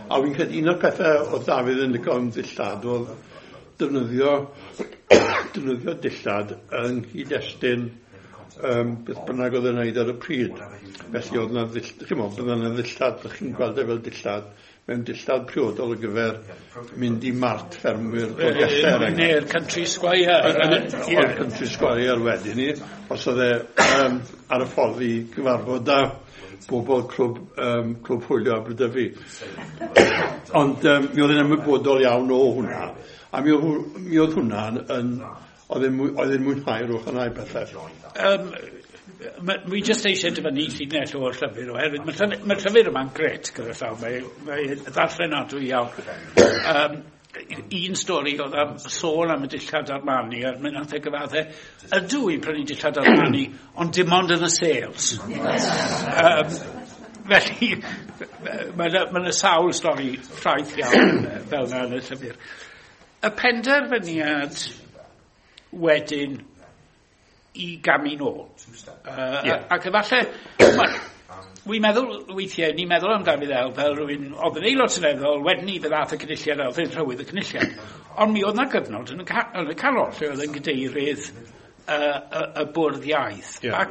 A fi'n credu un o'r pethau oedd Dafydd yn licio am ddillad oedd defnyddio dillad yng nghyd-destun beth bynnag oedd yn wneud ar y pryd. Felly oedd yna ddillad, chi'n gweld e fel dillad, mewn dillad priodol ar gyfer mynd i mart ffermwyr Dolgellau. Neu'r Country Squire. O'r Country Squire wedyn ni, os oedd e ar y ffordd i gyfarfod â bobl clwb hwylio Aberdyfi. Ond mi oedd e'n ymwybodol iawn o hwnna. A mi oedd hwnna'n oedd e'n mwynhau'r ochr yna i bethau. Mi jyst eisiau dyfynnu llinell o'r llyfr oherwydd mae'r llyfr yma'n gret gyda llaw, mae ddarllenadwy iawn. Un stori oedd am sôn am y dillad Armani, a mi nath e gyfadde, ydw i'n prynu dillad Armani, ond dim ond yn y sales. Felly, mae yna sawl stori ffraeth iawn fel yna yn y llyfr. Y penderfyniad wedyn i gamu nôl. Ac efallai, wi'n meddwl weithiau, ni'n meddwl am Dafydd El fel rhywun oedd yn aelod seneddol, wedyn ni fe ddath y cynulliad a oedd yn llywydd y cynulliad. Ond mi oedd yna gyfnod yn y canol lle oedd yn gadeirydd y bwrdd iaith. Yeah. Ac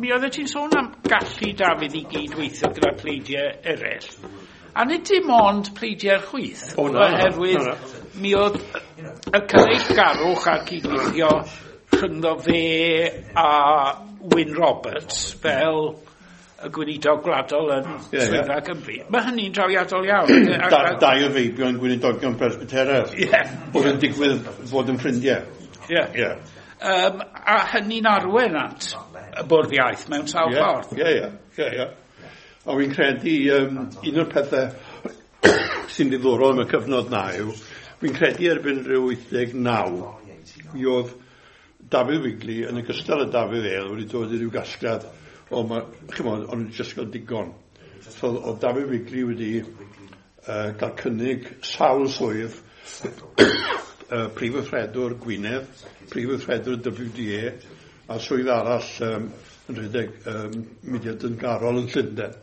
mi oeddet ti'n sôn am gallu Dafydd i gydweithio gyda pleidiau eraill. A nid dim ond pleidiau'r chwith, oherwydd mi oedd y cyfeillgarwch a'r cydweithio rhyngddo fe a Wyn Roberts fel y gweinidog gwladol yn Swyddfa Cymru. Mae hynny'n drawiadol iawn. Dau o feibion gweinidogion Presbyteraidd. Oedd yn digwydd fod yn ffrindiau. A hynny'n arwain at y bwrdd iaith mewn sawl ffordd. Ie. A fi'n credu un o'r pethau sy'n ddiddorol am y cyfnod na yw, fi'n credu erbyn rhyw 89, mi oedd Dafydd Wigley yn ogystal â Dafydd El wedi dod i ryw gasgliad o, chimod, o'n jyst gael digon. So oedd Dafydd Wigley wedi cael cynnig sawl swydd prif weithredwr Gwynedd, prif weithredwr WDA, a swydd arall yn rhedeg mudiad dyngarol yn Llundain.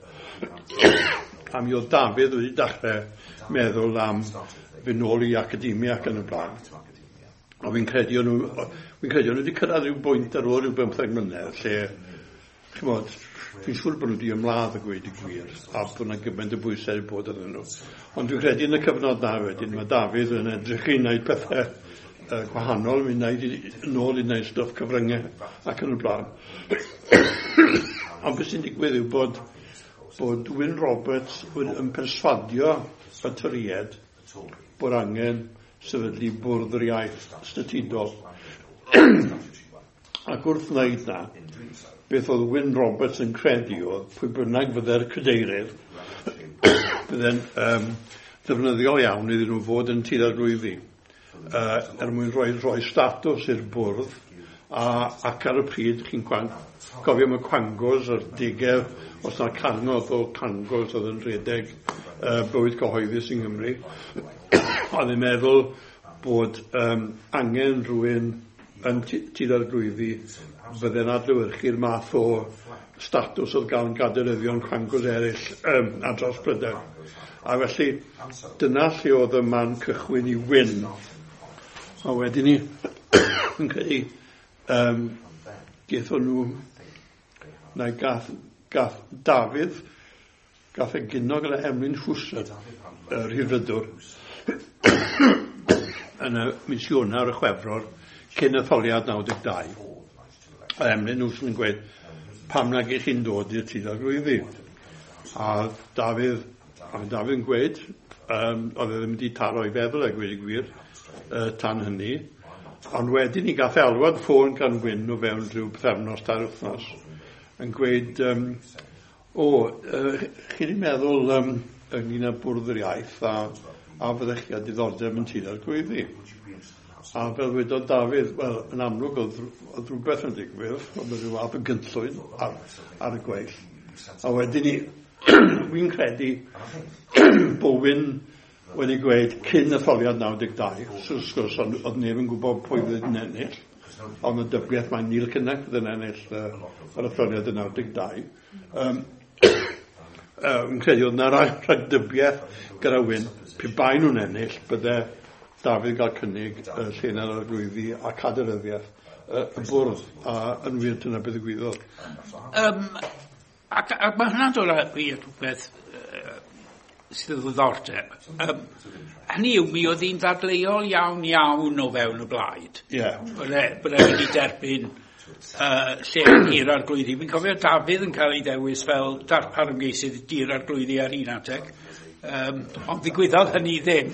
A mi oedd Dafydd wedi dechrau meddwl am fynd nôl i academia ac yn y blaen. A fi'n credu o'n nhw wedi cyrraedd rhyw bwynt ar ôl rhyw 15 mlynedd lle, chimod, fi'n siŵr bod nhw wedi ymladd y gweud y gwir a bod yna gymaint o bwysau i bod arnyn nhw. Ond dwi'n credu yn y cyfnod na wedyn, mae Dafydd yn edrych i wneud pethau gwahanol, mi'n wneud nôl i wneud stwff cyfryngau ac yn y blaen. Ond beth sy'n digwydd yw bod Wyn Roberts yn perswadio y Torïaid bod angen sefydlu bwrdd yr iaith statudol. Ac wrth wneud na, beth oedd Wyn Roberts yn credu oedd pwy bynnag fydde'r cadeirydd, bydde'n ddefnyddiol iawn iddyn nhw fod yn Tŷ'r Arglwyddi, er mwyn rhoi statws i'r bwrdd, ac ar y pryd chi'n cofio am y Quangos a'r degau, os na cangodd o Cangos oedd yn rhedeg bywyd cyhoeddus yng Nghymru. Oedd e'n meddwl bod angen rhywun yn Tŷ'r Arglwyddi fydde'n adlewyrchu'r math o statws oedd gan gadeiryddion quangos eraill ar draws Prydain. A felly, dyna lle oedd y man cychwyn i Wyn. A wedyn ni, yn credu, gaethon nhw, neu gath Dafydd, gath e gyno gyda Emlyn Hwsyn, y Rhyddfrydwr, yn y mis Ionawr y Chwefror, cyn etholiad 92. A Emlyn Hwsyn yn gweud, pam nag ych chi'n dod i'r Tŷ'r Arglwyddi? A Dafydd yn gweud, oedd e ddim wedi taro ei feddwl a gweud y gwir, tan hynny. Ond wedyn ni gath alwad ffôn gan Wyn o fewn rhyw pythefnos, 3 wythnos, yn gweud, chi wedi meddwl ynglyn â bwrdd yr iaith a fyddech chi â diddordeb yn Tŷ'r Arglwyddi? A fel wedodd Dafydd, wel, yn amlwg oedd rhywbeth yn digwydd, oedd rhyw fath o gynllwyn ar y gweill. A wedyn ni, wy'n credu bod Wyn wedi gweud cyn etholiad 92, so wrth gwrs oedd neb yn gwybod pwy fydd yn ennill, ond y dybiaeth mae Neil Kinnock fydd yn ennill yr etholiad yn 92. Yn credu oedd yna rhagdybiaeth gyda Wyn, pe bai nhw'n ennill, bydde Dafydd gael cynnig lle yn yr Arglwyddi a cadeiryddiaeth y bwrdd, a yn wir dyna beth ddigwyddodd. Ac mae hwnna'n dod â fi at rhywbeth sydd o ddiddordeb. Hynny yw, mi oedd hi'n ddadleuol iawn iawn o fewn y blaid. Ie. Bod e wedi derbyn lle Tŷ'r Arglwyddi. Fi'n cofio Dafydd yn cael ei ddewis fel darpar ymgeisydd Tŷ'r Arglwyddi ar un adeg. Ond ddigwyddodd hynny ddim.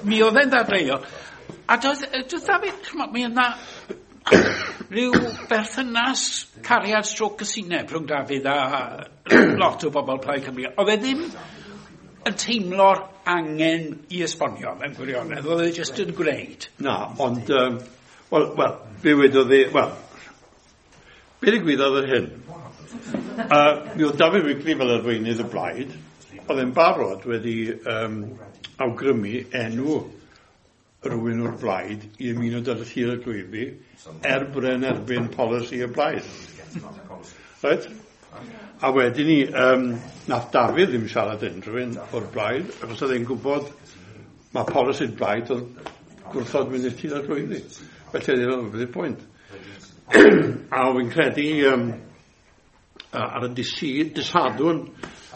Mi oedd e'n ddadleuol. A doedd Dafydd, mi oedd na rhyw berthynas cariad stroke cysineb rhwng Dafydd a lot o bobl Plaid Cymru. Oedd e ddim yn teimlo'r angen i esbonio mewn gwirionedd, oedd e jyst yn gwneud. Na, ond, wel, be wedodd e, wel, be ddigwyddodd yr hyn? Mi oedd Dafydd Wigley fel arweinydd y blaid, oedd e'n barod wedi awgrymu enw rhywun o'r blaid i ymuno gyda Tŷ'r Arglwyddi er bod e'n erbyn polisi y blaid. Right? A wedyn ni, nath Dafydd ddim siarad unrhyw un o'r blaid, achos oedd e'n gwybod mae polisi'r blaid oedd gwrthod mynd i'r Tŷ'r Arglwyddi. Felly oedd e'n beth yw'r pwynt. A wy'n credu ar y dysadwn,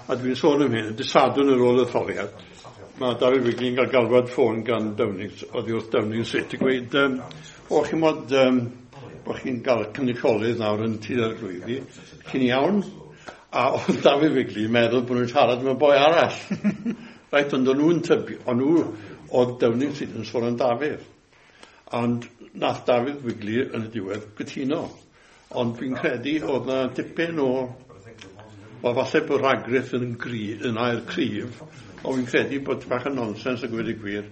a dwi'n sôn am hyn, y dysadwn ar ôl etholiad, mae Dafydd Wigley'n cael galwad ffôn gan Downing, oddi wrth Downing Street, i gweud, chi'n mod bod chi'n cael cynrychiolydd nawr yn Tŷ'r Arglwyddi, chi'n iawn? A oedd Dafydd Wigley yn meddwl bod nhw'n siarad am y boi arall. Reit, ond o'n nhw'n tybio, o'n nhw, oedd Downing Street yn sôn am Dafydd. Ond nath Dafydd Wigley yn y diwedd gytuno. Ond fi'n credu oedd na dipyn o, wel, falle bod rhagrith yn air cryf, ond fi'n credu bod bach o nonsens a gweud y gwir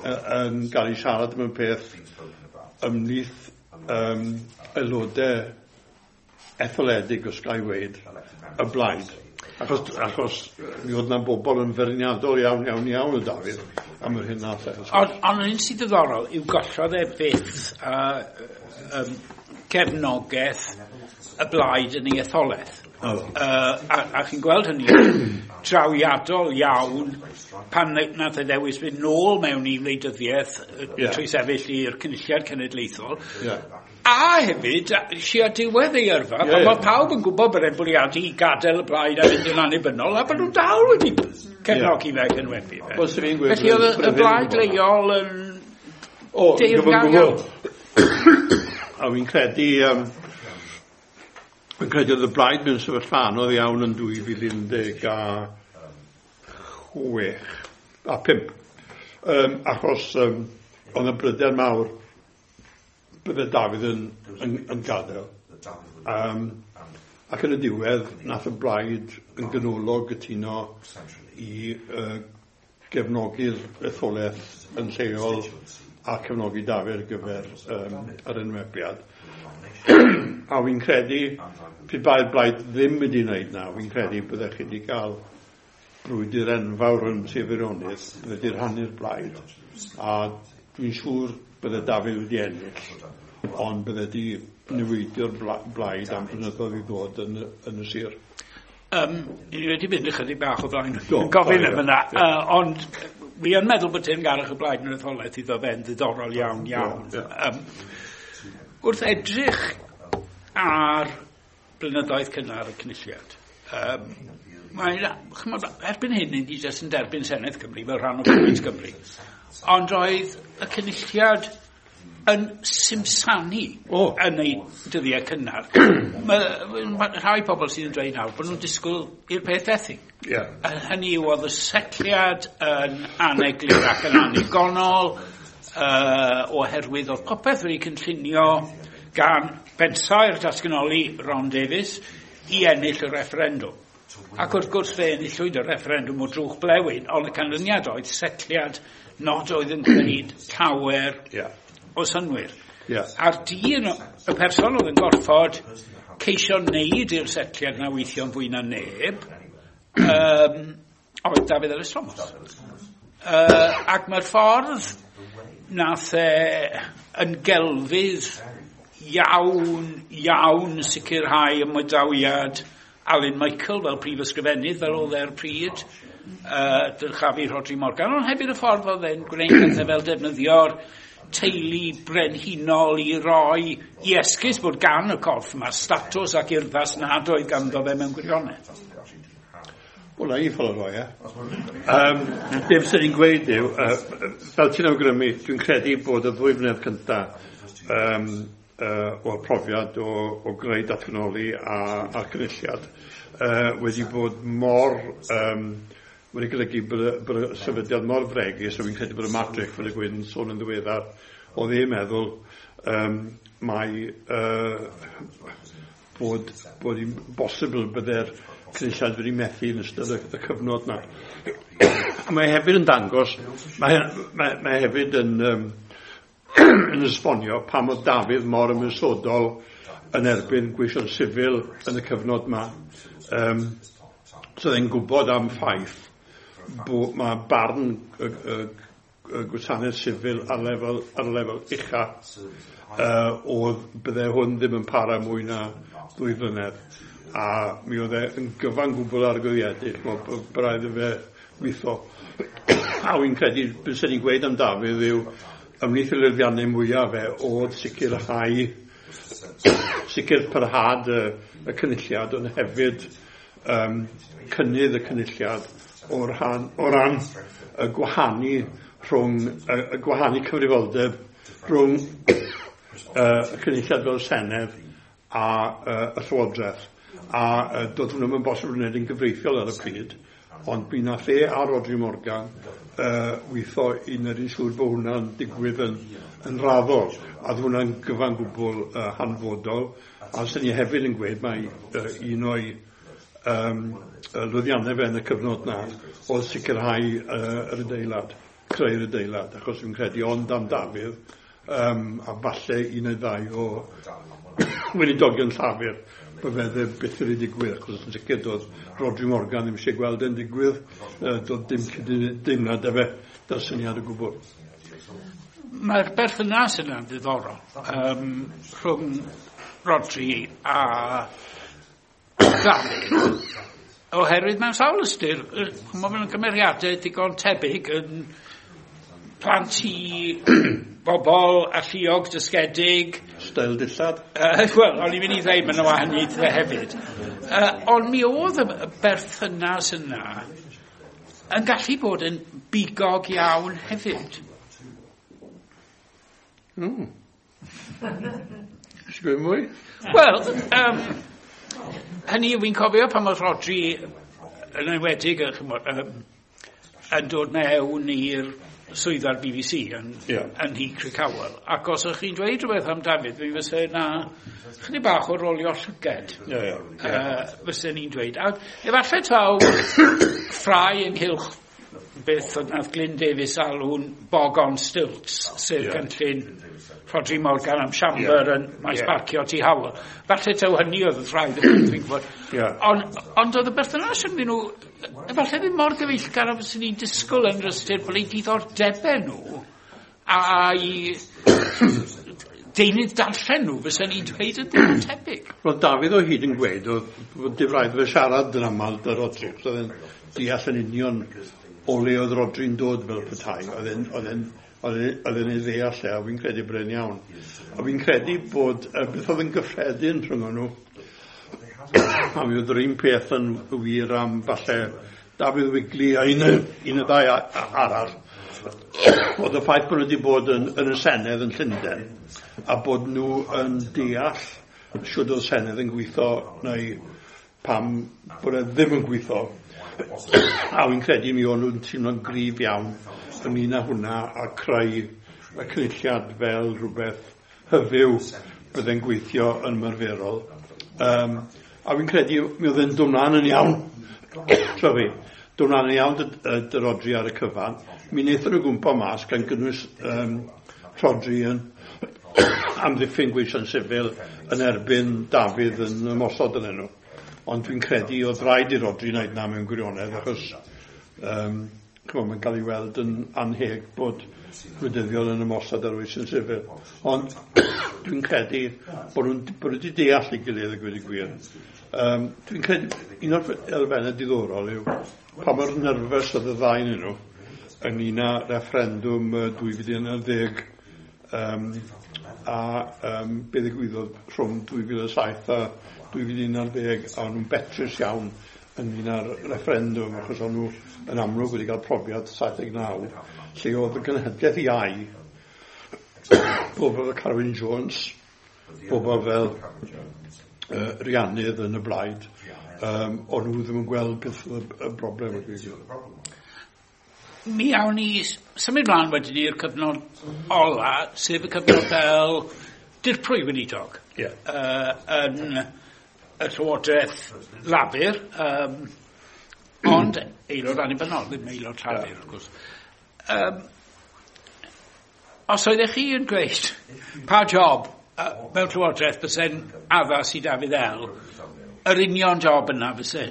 yn cael ei siarad am y peth ymhlith aelodau etholedig, os ga i weud, y blaid. Achos mi oedd na bobl yn feirniadol iawn, iawn, iawn o Dafydd am yr hyn nath e. Ond un sydd ddiddorol yw gollodd e byth cefnogaeth y blaid yn ei etholaeth. A chi'n gweld hynny trawiadol iawn pan nath e ddewis fynd nôl mewn i wleidyddiaeth trwy sefyll i'r Cynulliad Cenedlaethol. A hefyd, sia diwedd ei yrfa, pan mae pawb yn gwybod bod e'n bwriadu i gadael y blaid a fynd yn annibynnol, a bod nhw dal wedi cefnogi fe ac enwebu fe. Felly oedd y blaid leol yn deyrngar iawn. A fi'n credu, oedd y blaid mewn sefyllfa anodd iawn yn 2016 a 5. Achos oedd y bryder mawr bydde Dafydd yn gadael. Ac yn y diwedd, nath y blaid yn ganolog gytuno i gefnogi'r etholaeth yn lleol a cefnogi Dafydd ar gyfer yr enwebiad. A fi'n credu, pe bai'r blaid ddim wedi wneud na, fi'n credu byddech chi wedi cael brwydr enfawr yn Sir Feirionnydd, bydde wedi rhannu'r blaid. A dwi'n siŵr bydde Dafydd wedi ennill, ond bydde di niweidio'r blaid am blynyddoedd i ddod yn y sir. Ni wedi mynd ychydig bach o flaen gofyn am yna, ond wi yn meddwl bod teyrngarwch y blaid yn yr etholaeth iddo fe'n ddiddorol iawn iawn. Wrth edrych ar blynyddoedd cynnar y Cynulliad, mae, erbyn hyn ni jyst yn derbyn Senedd Cymru fel rhan o Plaid Cymru. Ond oedd y Cynulliad yn simsanu yn ei dyddiau cynnar. Mae rhai pobl sydd yn dweud nawr bod nhw'n disgwyl i'r peth fethu. Hynny yw, oedd y setliad yn aneglur ac yn annigonol, oherwydd oedd popeth wedi cynllunio gan bensaer datganoli Ron Davies i ennill y refferendwm. Ac wrth gwrs fe enillwyd y refferendwm o drwch blewyn, ond y canlyniad oedd setliad nad oedd yn gwneud llawer o synnwyr. A'r dyn, y person oedd yn gorfod ceisio wneud i'r setliad na weithio'n fwy na neb, oedd Dafydd Elis Thomas. Ac mae'r ffordd nath e yn gelfydd iawn, iawn sicrhau ymadawiad Alun Michael fel prif ysgrifennydd, fel oedd e'r pryd, dyrchafu Rhodri Morgan, ond hefyd y ffordd oedd e'n gwneud pethau fel defnyddio'r teulu brenhinol i roi i esgus bod gan y corff yma statws ac urddas nad oedd ganddo fe mewn gwirionedd. Wel, na i ffordd o roi, e. Be fyswn i'n gweud yw, fel ti'n awgrymu, dwi'n credu bod y 2 flynedd cyntaf o'r profiad o greu datganoli a'r Cynulliad wedi bod mor, wedi golygu bod y sefydliad mor fregus, so fi'n credu bod y Madrick, fel y Gwyn sôn yn ddiweddar, oedd e'n meddwl mai bod hi'n bosibl bydde'r Cynulliad wedi methu yn ystod y cyfnod na. A mae hefyd yn dangos, mae hefyd yn yn esbonio pam oedd Dafydd mor ymosodol yn erbyn gweision sifil yn y cyfnod ma. So oedd e'n gwybod am ffaith bod mae barn y gwasanaeth sifil ar lefel ucha oedd bydde hwn ddim yn para mwy na 2 flynedd. A mi oedd e yn gyfan gwbl argyhoeddedig, braidd i fe weithio. A wy'n credu, beth sy'n ni'n gweud am Dafydd yw, ymhlith y lwyddiannau mwyaf fe oedd sicrhau, sicr parhad y Cynulliad, ond hefyd cynnydd y Cynulliad o ran y gwahanu rhwng y gwahanu cyfrifoldeb rhwng y Cynulliad fel Senedd a y Llywodraeth. A doedd hwnnw'm yn bosibl wneud yn gyfreithiol ar y pryd, ond mi nath e a Rhodri Morgan weithio i wneud yn siŵr bod hwnna'n digwydd yn raddol, a oedd hwnna'n gyfan gwbl hanfodol. A sy'n ni hefyd yn gweud mai un o'i lwyddiannau fe yn y cyfnod na oedd sicrhau yr adeilad, creu'r adeilad, achos fi'n credu ond am Dafydd, a falle un neu ddau o weinidogion Llafur bydde fe byth wedi digwydd, achos yn sicr doedd Rhodri Morgan ddim eisiau gweld e'n digwydd, doedd dim cydymdeimlad 'da fe, da'r syniad o gwbl. Mae'r berthynas yna'n ddiddorol rhwng Rhodri a Dafydd, oherwydd mewn sawl ystyr, maen nhw'n gymeriadau digon tebyg yn plant i bobl alluog, dysgedig. Steil dillad. Wel, o'n i'n mynd i ddweud maen nhw wahaniaethau hefyd. Ond mi oedd y berthynas yna yn gallu bod yn bigog iawn hefyd. Eisiau gweud mwy? Wel, hynny yw, fi'n cofio pan oedd Rhodri yn enwedig yn dod mewn i'r swyddfa'r BBC yn Nhŷ Crickhowell. Ac os ydych chi'n dweud rhywbeth am Dafydd, mi fysa yna chydig bach o rolio llyged, fysa ni'n dweud. A efallai taw ffrae ynghylch beth oedd nath Glyn Davies alw'n bog on stilts, sef cynllun Rhodri Morgan am siambr yn maes parcio Tŷ Howell. Falle taw hynny oedd y ffrae, dwi'n gwybod. Ond oedd y berthynas rhyngddyn nhw, efallai ddim mor gyfeillgar a fyswn i'n disgwyl yn yr ystyr bod eu diddordebau nhw a'i deunydd darllen nhw, fysen ni'n dweud yn ddim yn tebyg. Roedd Dafydd o hyd yn gweud oedd bod dim rhaid fe siarad yn aml 'da Rhodri, achos oedd e'n deall yn union o le oedd Rhodri'n dod fel petai. Oedd e'n ei ddeall e, a fi'n credu bod e'n iawn. A fi'n credu bod beth oedd yn gyffredin rhwng nhw, a mi oedd yr un peth yn wir am falle Dafydd Wigley a un y ddau arall, oedd y ffaith bod nhw wedi bod yn y Senedd yn Llundain a bod nhw yn deall shwd oedd Senedd yn gweithio neu pam bod e ddim yn gweithio. A fi'n credu mi o'n nhw'n teimlo'n gryf iawn ynglyn â hwnna a creu y cynulliad fel rhywbeth hyfyw bydde'n gweithio yn ymarferol. A fi'n credu mi oedd e'n dod mlaen yn iawn, sorry, dod mlaen yn iawn 'da Rhodri ar y cyfan. Mi wnaethon nhw gwmpo mas gan gynnwys Rhodri yn amddiffyn gweision sifil yn erbyn Dafydd yn ymosod yn nhw. Ond dwi'n credu oedd rhaid i Rhodri wneud na mewn gwirionedd, achos mae'n cael ei weld yn anheg bod gwleidyddion yn ymosod ar weision sifil. Ond dwi'n credu bod nhw'n bod nhw wedi deall ei gilydd a gweud y gwir. Dwi'n credu un o'r elfennau diddorol yw pa mor nerfus oedd y ddau yn nhw ynglyn â referendwm 2010 a be ddigwyddodd rhwng 2007 a 2011, a o'n nhw'n betrus iawn ynglyn â'r referendwm, achos o'n nhw yn amlwg wedi cael profiad 79, lle oedd y genhedlaeth iau, bobl fel Carwyn Jones, bobl fel Rhianydd yn y blaid, o'n nhw ddim yn gweld beth oedd y broblem. Mi awn ni symud mlaen wedyn i'r cyfnod ola, sef y cyfnod fel dirprwy weinidog. Yn y Llywodraeth Lafur, ond aelod annibynnol, ddim aelod Llafur, wrth gwrs. Os oeddech chi yn gweud pa job mewn Llywodraeth byse'n addas i Dafydd El, yr union job yna fyse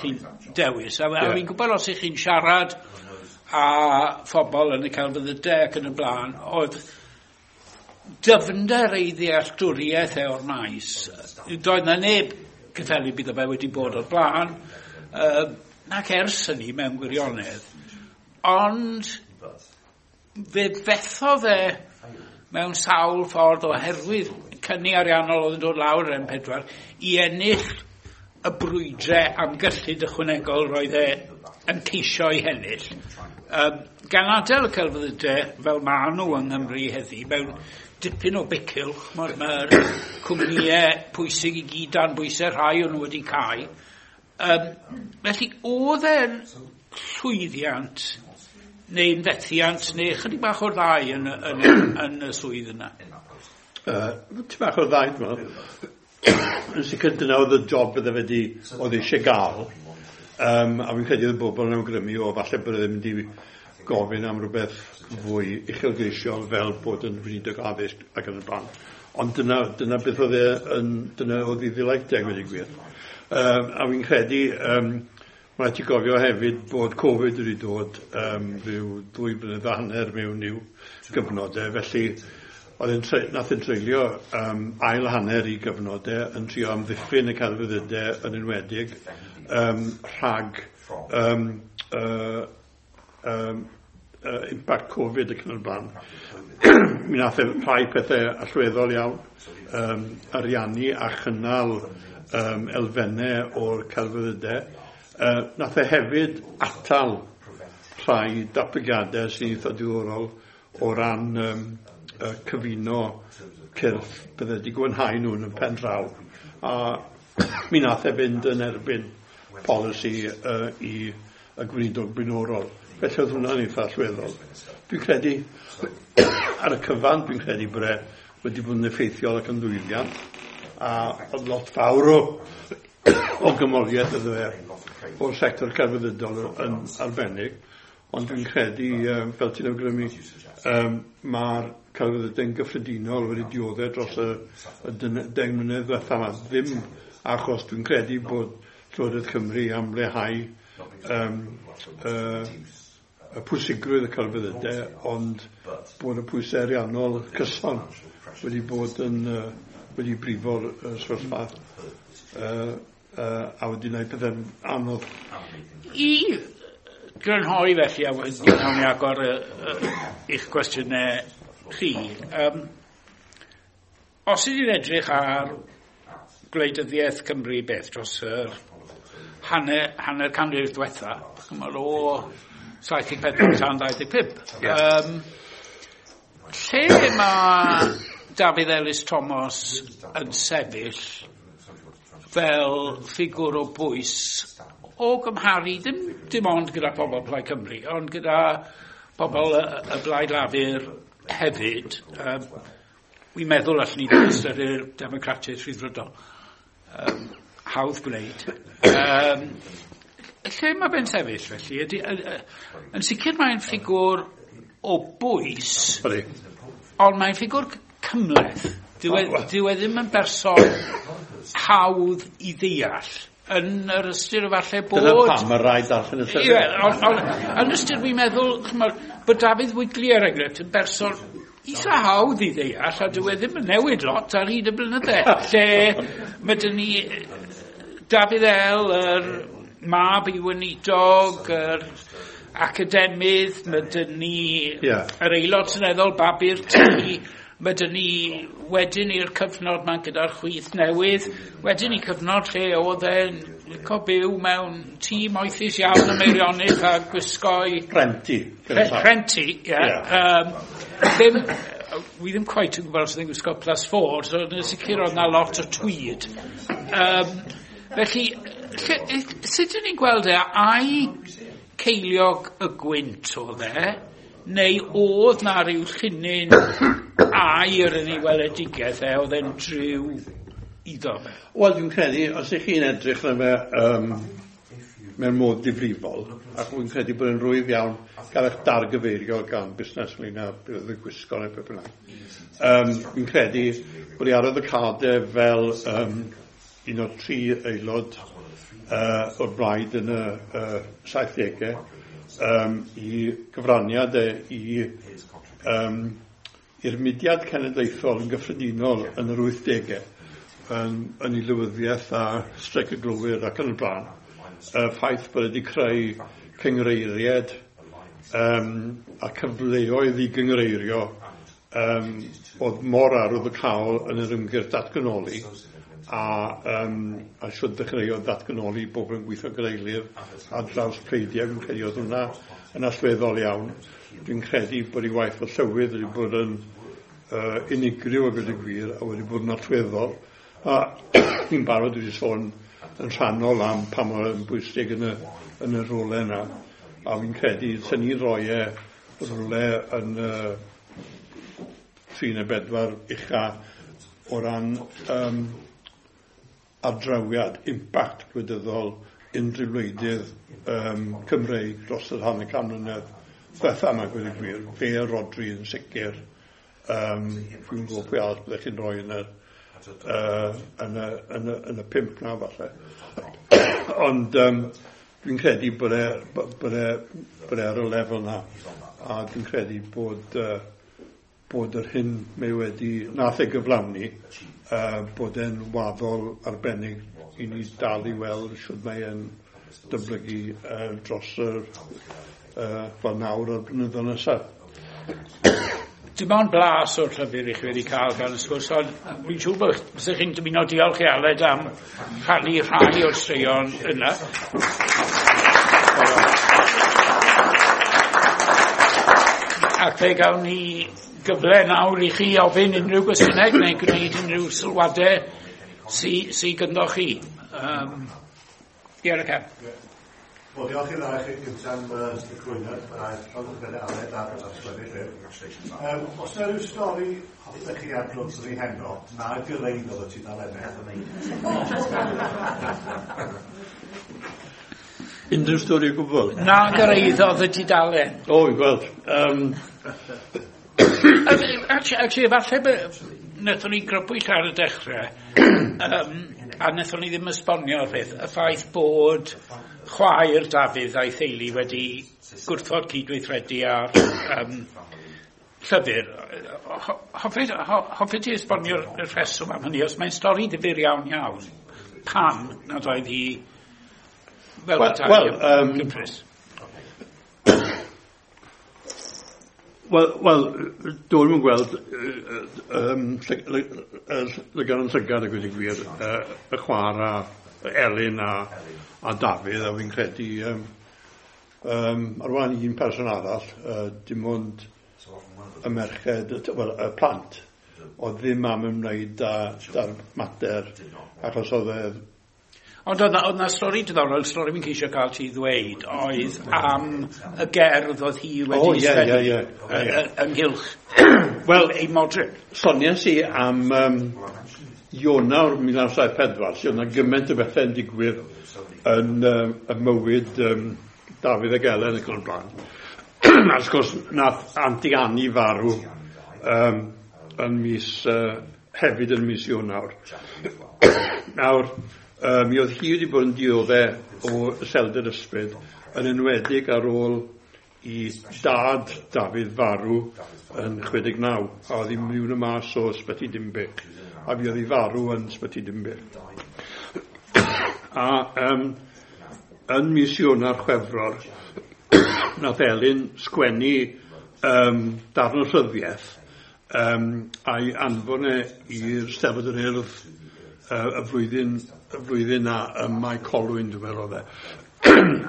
chi'n dewis. A fi'n gwybod os ych chi'n siarad a phobl yn y celfyddydau ac yn y blaen, oedd dyfnder ei ddealltwriaeth e o'r maes. Doedd na neb cyffelyb iddo fe wedi bod o'r blaen, nac ers hynny mewn gwirionedd. Ond fe fethodd e mewn sawl ffordd oherwydd cynni ariannol oedd yn dod lawr yr M4 i ennill y brwydrau am gyllid ychwanegol roedd e yn ceisio ei hennill. Gan adael y celfyddydau fel maen nhw yng Nghymru heddi mewn dipyn o bicylch, mae'r cwmnïau pwysig i gyd dan bwysau, rhai o'n nhw wedi cau. Felly oedd e'n llwyddiant neu'n fethiant neu chydig bach o'r ddau yn y swydd yna? Tipyn bach o'r ddau, dwi'n meddwl. Yn sicr dyna oedd y job bydde fe wedi, oedd eisiau gael. A fi'n credu oedd y bobl yn awgrymu o falle bod e ddim wedi gofyn am rhywbeth fwy uchelgeisiol fel bod yn weinidog addysg ac yn y blaen. Ond dyna beth oedd e yn, dyna oedd ei ddelight e, gweud y gwir. A fi'n credu, mae ti gofio hefyd bod Covid wedi dod rhyw 2.5 blynedd mewn i'w gyfnodau, felly oedd nath e'n treulio ail hanner i gyfnodau yn trio amddiffyn y celfyddydau yn enwedig rhag impact Covid ac yn y blaen. Mi nath e rhai pethau allweddol iawn, ariannu a chynnal elfennau o'r celfyddydau. Nath e hefyd atal rhai datblygiadau sy'n eitha diddorol o ran cyfuno cyrff bydde wedi gwanhau nhw yn y pen draw. A mi nath e fynd yn erbyn polisi i y gweinidog blaenorol. Felly oedd hwnna'n eitha allweddol. Dwi'n credu, ar y cyfan, dwi'n credu bod e wedi bod yn effeithiol ac yn llwyddiant, a oedd lot fawr o gymoriaeth iddo fe o'r sector celfyddydol yn arbennig, ond dwi'n credu, fel ti'n awgrymu, mae'r celfyddydau'n gyffredinol wedi dioddef dros y 10 mlynedd ddiwethaf yma. Ddim achos dwi'n credu bod Llywodraeth Cymru am leihau y pwysigrwydd y celfyddydau, ond bod y pwysau ariannol cyson wedi bod yn wedi brifo'r sefyllfa a wedi gwneud pethau'n anodd. I grynhoi felly, a wedyn nawn ni agor eich cwestiynau chi. Os ydyn ni'n edrych ar gwleidyddiaeth Cymru beth dros yr hanner canrif diwetha, chymod o 74 tan 25. Yeah. Lle mae Dafydd Elis Thomas yn sefyll fel ffigwr o bwys o gymharu dim ond gyda pobl Plaid Cymru, ond gyda pobl y Blaid Lafur hefyd. Wi'n meddwl allwn ni ddim ystyried Democratiaid Rhyddfrydol. Hawdd gwneud. Lle mae fe'n sefyll felly? Yn sicr mae'n ffigwr o bwys, ond mae'n ffigwr cymhleth. Dyw e ddim yn berson hawdd i ddeall. Yn yr ystyr falle bod... Dyna pam mae rhaid darllen y llyfr. Ie, ond yn ystyr fi'n meddwl, ch'mod, bod Dafydd Wigley er enghraifft yn berson eitha hawdd i ddeall, a dyw e ddim yn newid lot ar hyd y blynydde. Lle mae dyn ni Dafydd El, yr mab i weinidog, yr academydd, mae dyn ni yr aelod seneddol, Babi'r Tŷ, mae dyn ni wedyn i'r cyfnod ma gyda'r chwith newydd, wedyn i cyfnod lle oedd e'n licio byw mewn tŷ moethus iawn ym Meirionnydd a gwisgo'i... Rhenti. Rhenti, ie. Ddim, wi ddim quite yn gwybod os oedd e'n gwisgo +4, so yn sicr oedd na lot o tweed. Felly, sut ydyn ni'n gweld e, ai ceiliog y gwynt oedd e, neu oedd na ryw llinyn air yn ei weledigaeth e, oedd e'n driw iddo fe? Wel, dwi'n credu, os ych chi'n edrych arno fe mewn modd difrifol, ac dwi'n credu bod yn rwydd iawn gael eich dargyfeirio gan busnes ynglyn â beth oedd y gwisgo neu beth bynnag. Dwi'n credu bod ei arwyddocâd e fel un o'r tri aelod o'r blaid yn y 70au, i gyfraniad e i'r mudiad cenedlaethol yn gyffredinol yn yr 80au, yn ei lywyddiaeth a streic y glowyr ac yn y blaen. Y ffaith bod wedi creu cyngreiried a cyfleoedd i gyngreirio oedd mor arwyddocaol yn yr ymgyrch datganoli a siwt ddechreuodd datganoli bobl yn gweithio gyda'i gilydd ar draws pleidiau. Dwi'n credu oedd hwnna yn allweddol iawn. Dwi'n credu bod ei waith fel llywydd wedi bod yn unigryw a gweud y gwir a wedi bod yn allweddol. A fi'n barod wedi sôn yn rhannol am pa mor yn bwysig yn y rolau yna. A fi'n credu sy'n ni'n rhoi e rhywle yn 3 neu 4 ucha o ran ardrawiad, impact gwleidyddol unrhyw wleidydd Cymreig dros yr hanner can mlynedd diwetha yma, gweud y gwir. Fe a Rhodri yn sicr. Dwi'n gwybod pwy arall byddech chi'n rhoi yn y 5 na falle. Ond dwi'n credu bod e ar y lefel na. A dwi'n credu bod yr hyn mae wedi, nath ei gyflawni, bod e'n waddol arbennig i ni dal i weld shwd mae e'n dyblygu dros yr fel nawr a'r blynyddoedd nesaf. Dim ond blas o'r llyfr i chi wedi cael gan y sgwrs, ond fi'n siŵr bod bysech chi'n dymuno diolch i Aled am rhannu rhai o'r straeon yna. Ac fe gawn ni gyfle nawr i chi ofyn unrhyw gwestiynau neu gwneud unrhyw sylwadau sy gynddo chi. Diolch y Wel, diolch i'r ddau chi gyntaf am y cyflwyniad, yr Aled a'r sgwennu llyfr. Os yna rhyw stori hoffech chi adrodd ni heno, na gyrhaeddodd y tudalennau? Unrhyw stori o gwbl? Na gyrhaeddodd y tudalen. O, fi'n gweld. Actually, falle Wnaethon ni grybwyll ar y dechrau, a wnaethon ni ddim esbonio'r peth, y ffaith bod chwaer Dafydd a'i theulu wedi gwrthod cydweithredu ar llyfr. Hoffet ti esbonio'r rheswm am hynny, os mae'n stori ddifyr iawn iawn, pam nad oedd hi fel petai gyfres? Wel, dwi'n yn gweld lygad yn llygad a gweud y gwir, y chwar a Elin a Dafydd, a fi'n credu ar wahan un person arall, dim ond y merched, wel, y plant, oedd ddim am ymwneud â'r mater, achos oedd e. Ond oedd 'na stori diddorol, stori fi'n ceisio cael ti ddweud, oedd am y gerdd oedd hi wedi sgwennu ynghylch wel, ei modryb. Soniais i am Ionawr 1974, lle oedd 'na gymaint o bethau'n digwydd yn y mywyd Dafydd ac Elen ac yn y blaen. A wrth gwrs, nath Auntie Annie farw yn mis, hefyd yn mis Ionawr. Nawr, mi oedd hi wedi bod yn dioddef o iselder ysbryd, yn enwedig ar ôl i dad Dafydd farw yn 69, a oedd hi'n mynd mas o Ysbyty Dinbych, a fi oedd hi farw yn Ysbyty Dinbych. A yn mis Ionawr Chwefror, nath Elin sgwennu darn o rhyddiaeth a'i anfon e i'r Steddfod yr Urdd y flwyddyn na ym Mae Colwyn, dwi'n meddwl oedd e.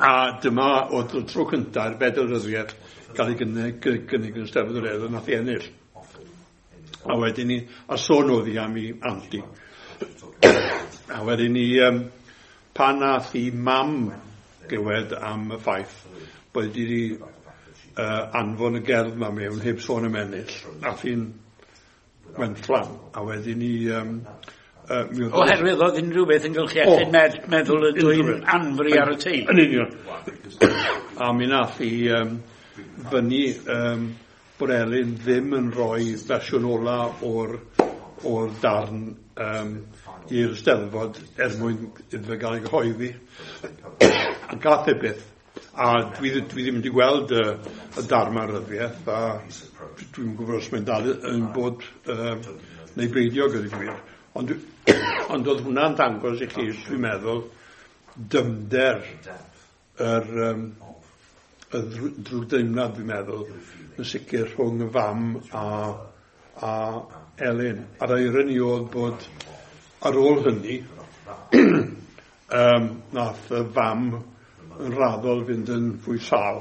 A dyma oedd y tro cyntaf i'r fedal ryddiaeth gael ei gynnig yn Steddfod yr Urdd, a nath i ennill. A wedyn ni, a sôn oedd hi am ei anti. A wedyn ni, pan nath i mam glywed am y ffaith bod wedi anfon y gerdd ma mewn heb sôn am ennill, nath hi'n wenfflam. A wedyn ni... Oherwydd oedd unrhyw beth yn gylch iechyd meddwl y dwy'n anfri ar y teulu. Yn union. A mi nath hi fyny bod Elin ddim yn rhoi fersiwn ola o'r darn i'r Steddfod er mwyn iddo fe gael ei gyhoeddi. A gath e byth. A dwi ddim wedi gweld y darn ma'r ryddiaeth, a dwi'n gwybod os mae'n dal yn bod neu beidio gyda gwir. Ond oedd hwnna'n dangos i chi, dwi'n meddwl, dymder yr drwgdeimlad, dwi'n meddwl, yn sicr rhwng y fam a Elin. A'r ironi oedd bod ar ôl hynny, nath y fam yn raddol fynd yn fwy sâl,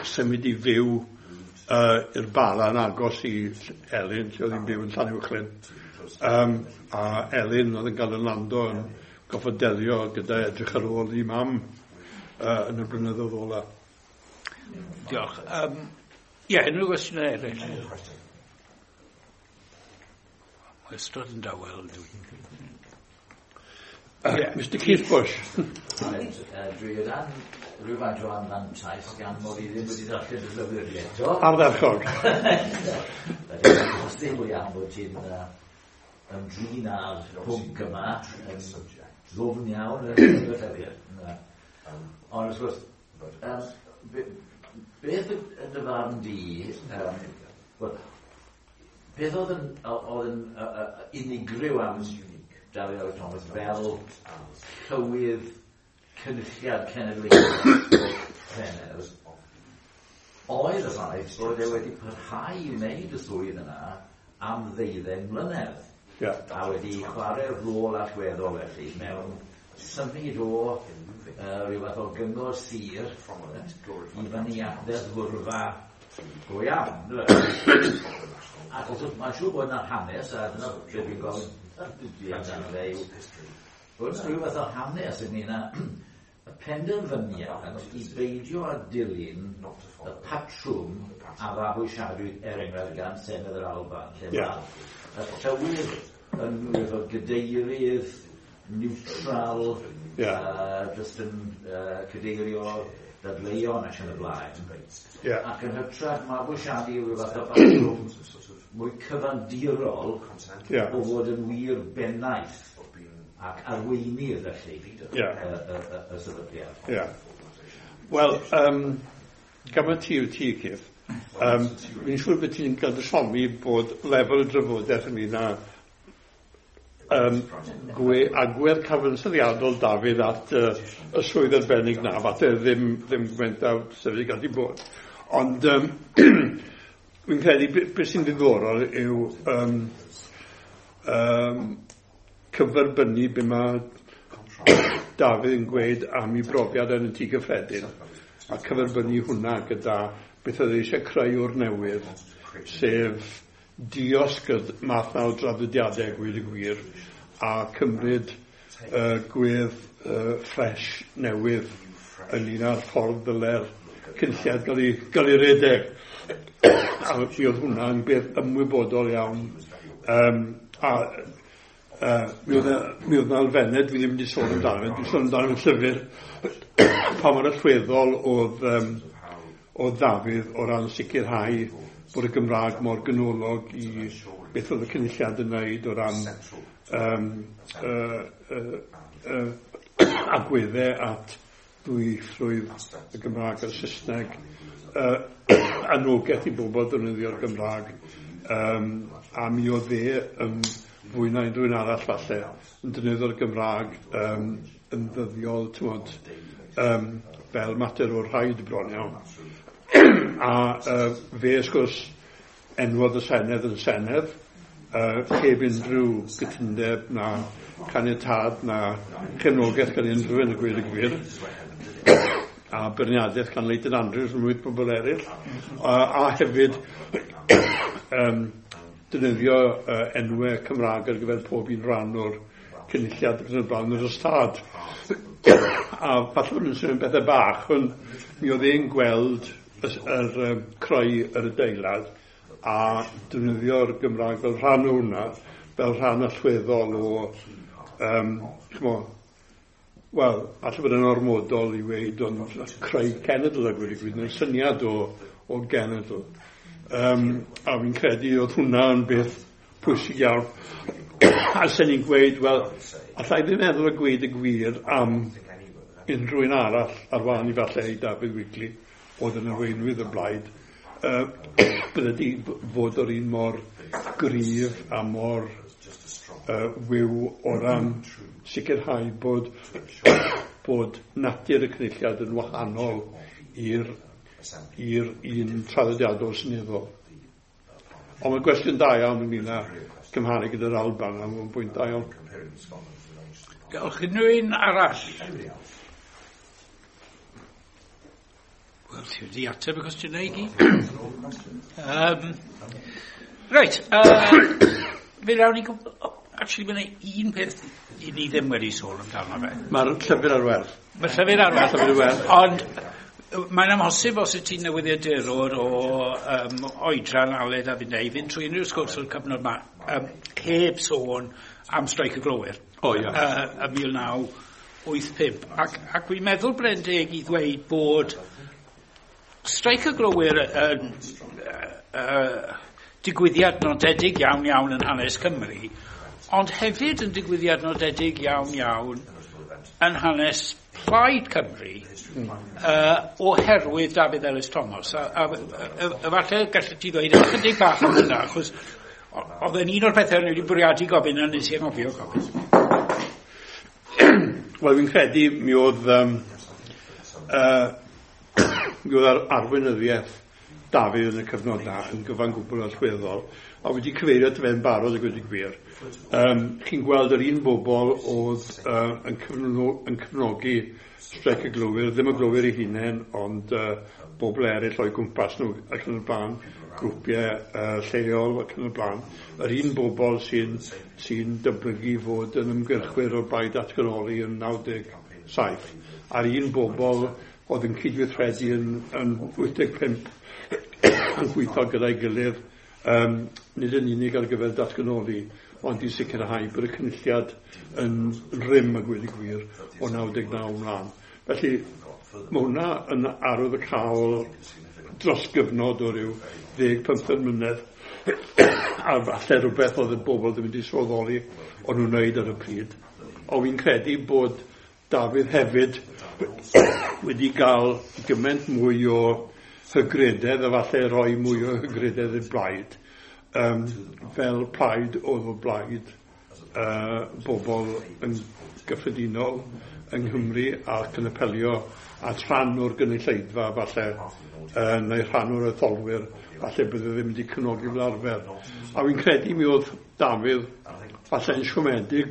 symud i fyw i'r Bala yn agos i Elin, lle oedd hi'n byw yn Llanuwchllyn. A Elin oedd yn cael yn lando yn goffod delio gyda edrych ar ôl i mam yn y blynyddoedd ola. Diolch. Ie, unrhyw gwestiynau eraill? Mae ystod yn dawel. Mr Keith Bush. Dwi o dan rhywfaint o anfantais gan mod i ddim wedi darllen y llyfr eto. Ardderchog. Felly, os ddim mwy am bod ti'n ymdrin â'r pwnc yma yn ddwfn iawn yn y llyfr. Ond wrth gwrs, beth yn dy farn di, beth oedd yn unigryw am Dafydd Elis Thomas fel llywydd Cynulliad Cenedlaethol Senedd, oedd y ffaith bod e wedi parhau i wneud y swydd yna am 12 mlynedd. Yeah. A wedi chwarae rôl allweddol felly mewn symud o rhyw fath o gyngor sir i fyny at ddeddfwrfa go iawn. Ac wrth gwrs mae'n siŵr bod yna hanes, a dyna beth fi'n gofyn amdano fe yw, bod yna rhyw fath o hanes ynglyn â y penderfyniad i beidio â dilyn y patrwm a fabwysiadwyd er enghraifft gan Senedd yr Alban, lle mae y llywydd yn rhyw fath o gadeirydd neutral, just yn cadeirio ddadleuon ac yn y blaen. Yeah. Ac yn hytrach mabwysiadu rhyw fath o batrwm mwy cyfandirol yeah. o fod yn wir bennaeth ac arweinydd felly yeah. y sefydliad. Yeah. Wel, gan ti yw ti, Keith, fi'n siŵr bod ti'n cael dy siomi bod lefel y drafodaeth ynglyn â agwedd cyfansoddiadol Dafydd at y swydd arbennig na, falle ddim gymaint â sefyll gallu bod. Ond fi'n credu beth sy'n ddiddorol yw cyferbynnu be mae Dafydd yn gweud am ei brofiad yn y tŷ cyffredin, a cyferbynnu hwnna gyda beth oedd eisiau creu o'r newydd, sef diosg y math na o draddodiadau, gweud y gwir, a cymryd gwedd ffres newydd ynglyn â'r ffordd ddyle'r cynlliad gael ei redeg. A mi oedd hwnna'n beth ymwybodol iawn. Mi oedd yna elfennau dwi ddim wedi sôn amdano, dwi'n sôn amdano yn llyfr, pa mor allweddol oedd Dafydd o ran sicrhau bod y Gymraeg mor ganolog i beth oedd y cynulliad yn wneud o ran agweddau at ddwyieithrwydd y Gymraeg a'r Saesneg, anogaeth i bobl ddefnyddio'r Gymraeg, a mi oedd e yn fwy na unrhyw un arall falle yn defnyddio'r Gymraeg yn ddyddiol, t'mod, fel mater o'r rhaid bron iawn. A fe, wrth gwrs, enwodd y Senedd yn Senedd, heb unrhyw gytundeb na caniatâd na chefnogaeth gan unrhyw un, y gweud y gwir, a beirniadaeth gan Leighton Andrews ymhlith bobl eraill, a hefyd defnyddio enwau Cymraeg ar gyfer pob un rhan o'r cynulliad ac yn y blaen yr ystâd. A falle bod nhw'n swnio'n bethau bach, ond mi oedd e'n gweld yr creu yr adeilad a defnyddio'r Gymraeg fel rhan o hwnna, fel rhan allweddol o, wel, falle bod yn ormodol i weud, ond creu cenedl a gweud y gwir, neu'r syniad o genedl. A fi'n credu oedd hwnna yn beth pwysig iawn. A sen ni'n gweud, wel, allai ddim meddwl y gweud y gwir am unrhyw un arall ar wahân i falle i Dafydd Wigley, oedd yn arweinydd y blaid, bydde di fod o'r un mor gryf a mor wiw o ran sicrhau bod natur y cynulliad yn wahanol i'r un traddodiadol seneddol. Ond mae'n gwestiwn da iawn ynglyn â cymharu gyda'r Alban, a mae'n bwynt da iawn. Diolch. Unrhyw un arall? Wel, ti wedi ateb y cwestiynau i gyd. Reit, fe rawn ni... Actually, mae yna un peth i ni ddim wedi sôn amdano fe. Mae'r llyfr ar werth. Mae'r llyfr ar werth. Ond mae'n amhosib os wyt ti'n newyddiadurwr o oedran Aled a finnau i fynd trwy unrhyw sgwrs o'r cyfnod yma heb sôn am streic y glowyr. O, ia. Y 1985. Ac dwi'n meddwl bod e'n deg i ddweud bod streic y glowyr yn digwyddiad nodedig iawn iawn yn hanes Cymru, ond hefyd yn digwyddiad nodedig iawn iawn yn hanes Plaid Cymru oherwydd Dafydd Elis Thomas. A falle gallet ti ddweud ychydig bach am hynna, achos oedd yn un o'r pethau o'n i wedi bwriadu gofyn a nes i anghofio gofyn. Wel, fi'n credu mi oedd mi oedd arweinyddiaeth Dafydd yn y cyfnod na yn gyfan gwbl allweddol, a wedi cyfeirio at fe'n barod a gweud y gwir. Chi'n gweld yr un bobl oedd yn cefnogi streic y glowyr, ddim y glowyr eu hunain, ond bobl eraill o'i gwmpas nhw ac yn y blaen, grwpiau lleol ac yn y blaen. Yr un bobl sy'n dyblygu fod yn ymgyrchwyr o'r blaid datganoli yn 97, a'r un bobl oedd yn cydweithredu yn 85 yn gweithio gyda'i gilydd, nid yn unig ar gyfer datganoli, ond i sicrhau bod y cynulliad yn rym a gweud y gwir o 99 ymlaen. Felly, Mae hwnna yn arwyddocaol dros gyfnod o ryw 10-15 mlynedd a falle rhywbeth oedd y bobl ddim wedi sylweddoli o'n nhw'n wneud ar y pryd. Ond fi'n credu bod Dafydd hefyd wedi gael gymaint mwy o hygrededd a falle rhoi mwy o hygrededd i'r blaid fel plaid oedd o blaid bobl yn gyffredinol yng Nghymru ac yn apelio at rhan o'r gynulleidfa falle neu rhan o'r etholwyr falle bydde ddim wedi cefnogi fel arfer. A fi'n credu mi oedd Dafydd falle'n siomedig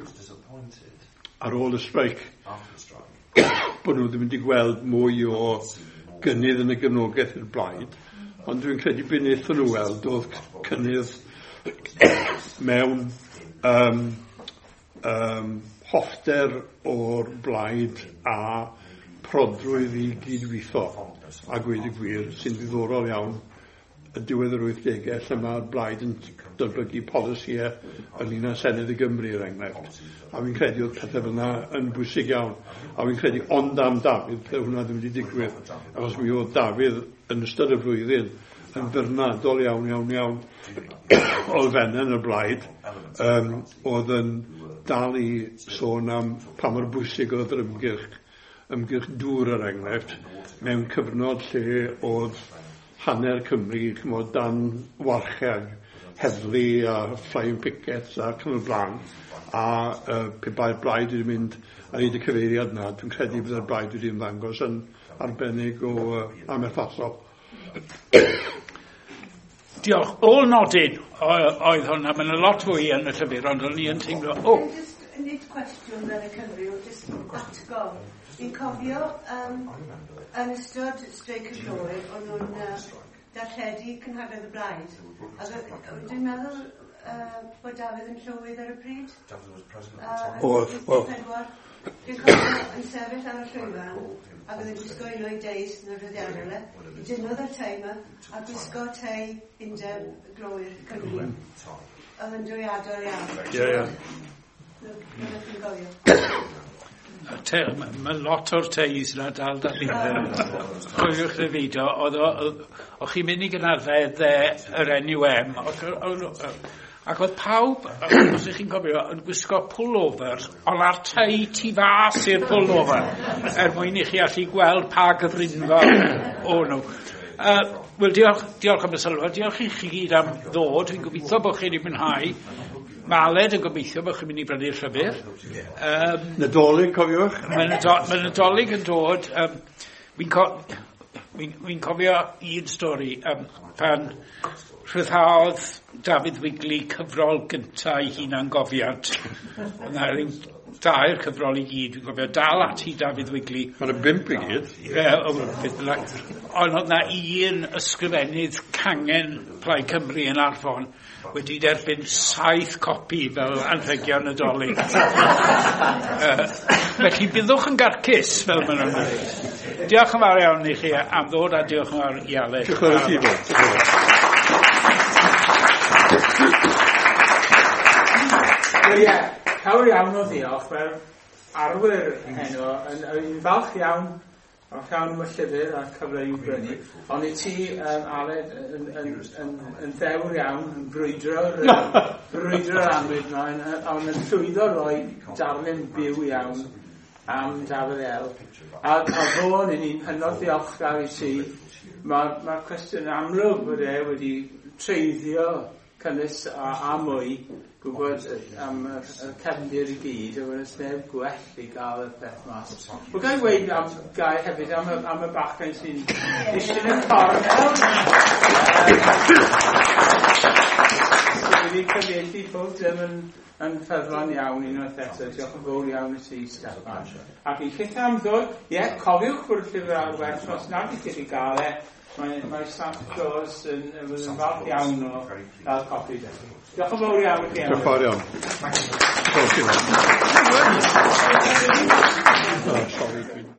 ar ôl y streic bod nhw ddim wedi gweld mwy o gynnydd yn y gefnogaeth i'r blaid, ond dwi'n credu be wnaethon nhw weld oedd cynnydd mewn hoffter o'r blaid a prodrwydd i gydweithio, a gweud y gwir, sy'n ddiddorol iawn y diwedd yr 80au lle mae'r blaid yn datblygu polisïau ynglyn â Senedd y Gymru, er enghraifft. A fi'n credu oedd pethau fel yna yn bwysig iawn. A fi'n credu ond am Dafydd, bydde hwnna ddim wedi digwydd. Achos mi oedd Dafydd yn ystod y flwyddyn yn feirniadol iawn, iawn, iawn o elfennau yn y blaid, oedd yn dal i sôn am pa mor bwysig oedd yr ymgyrch dŵr, er enghraifft, mewn cyfnod lle oedd hanner Cymru, ch'mod, dan warcheg heddlu a flying pickets ac yn y blaen, a pe bai'r blaid wedi mynd ar hyd y cyfeiriad yna, dwi'n credu byddai'r blaid wedi ymddangos yn arbennig o amherthnasol. Diolch. Ôl nodyn oedd hwnna, mae'n lot fwy yn y llyfr, ond o'n i yn teimlo, o! Just, nid cwestiwn fel y cyfryw, just atgof. Fi'n cofio yn ystod streic y glowyr, o'n nhw'n darlledu cynhadledd y blaid. A dwi'n meddwl bod Dafydd yn llywydd ar y pryd. Oedd, oedd. Dwi'n cofio yn sefyll ar y llwyfan, ac oedd yn gwisgo un o'i deis yn yr rhyddiadol e. I dynnodd y tei yma, a gwisgo tei undeb glowyr Cymru. Oedd yn drawiadol iawn. Ie, ie. Rwy'n chi'n gofio. Mae lot o'r teis yna dal da fi. Cofiwch y fideo, oedd o'ch chi'n mynd i gynhadledd yr NUM, ac oedd pawb, os ych chi'n cofio, yn gwisgo pullovers, ond ar tei tu fas i'r pullover, er mwyn i chi allu gweld pa gyfrinfa o'n nhw. Wel, diolch, diolch am y sylw, diolch i chi gyd am ddod, dwi'n gobeithio bod chi wedi mwynhau. Mae Aled yn gobeithio bod chi'n mynd i brynu'r llyfr. Nadolig, cofiwch. Mae Nadolig yn dod. Fi'n cofio un stori pan rhyddhaodd Dafydd Wigley cyfrol gyntaf ei hunangofiant. Yna rhyw dair cyfrol i gyd, dwi'n cofio dal ati Dafydd Wigley. Mae'n y 5 i gyd. Ie, beth bynnag. Ond oedd na un ysgrifennydd cangen Plaid Cymru yn Arfon wedi derbyn 7 copi fel anrhegion Nadolig. Felly byddwch yn garcus, fel maen nhw'n dweud. Diolch yn fawr iawn i chi am ddod a diolch yn fawr i Aled. Diolch yn fawr i ti, Bob. Wel ie, llawer iawn o ddiolch fel arwyr heno, yn falch iawn o llawn y llyfr a'r cyfle i'w brynu. Ond i ti, Aled, yn ddewr iawn, yn brwydro'r annwyd yma, ond yn llwyddo roi darlun byw iawn am Dafydd El. A fôn, i ni'n hynod ddiolchgar i ti. Mae'r cwestiwn amlwg bod e wedi treiddio cynnwys a mwy, gwybod am y cefndir i gyd, a wedyn sneb gwell i gael y peth mas. Wel, gael weud am gair hefyd am y bachgen sy'n eistedd yn y cornel. Sydd wedi cyfieithu pob dim yn ffyddlon iawn unwaith eto. Diolch yn fawr iawn i ti, Steffan. Ac i chitha am ddod, ie, cofiwch bod y llyfr ar werth os nad ydych chi wedi gael e. Mae Santa Claus yn falch iawn o gael copi. Diolch yn fawr iawn i chi. Diolch yn fawr iawn. Diolch i chi.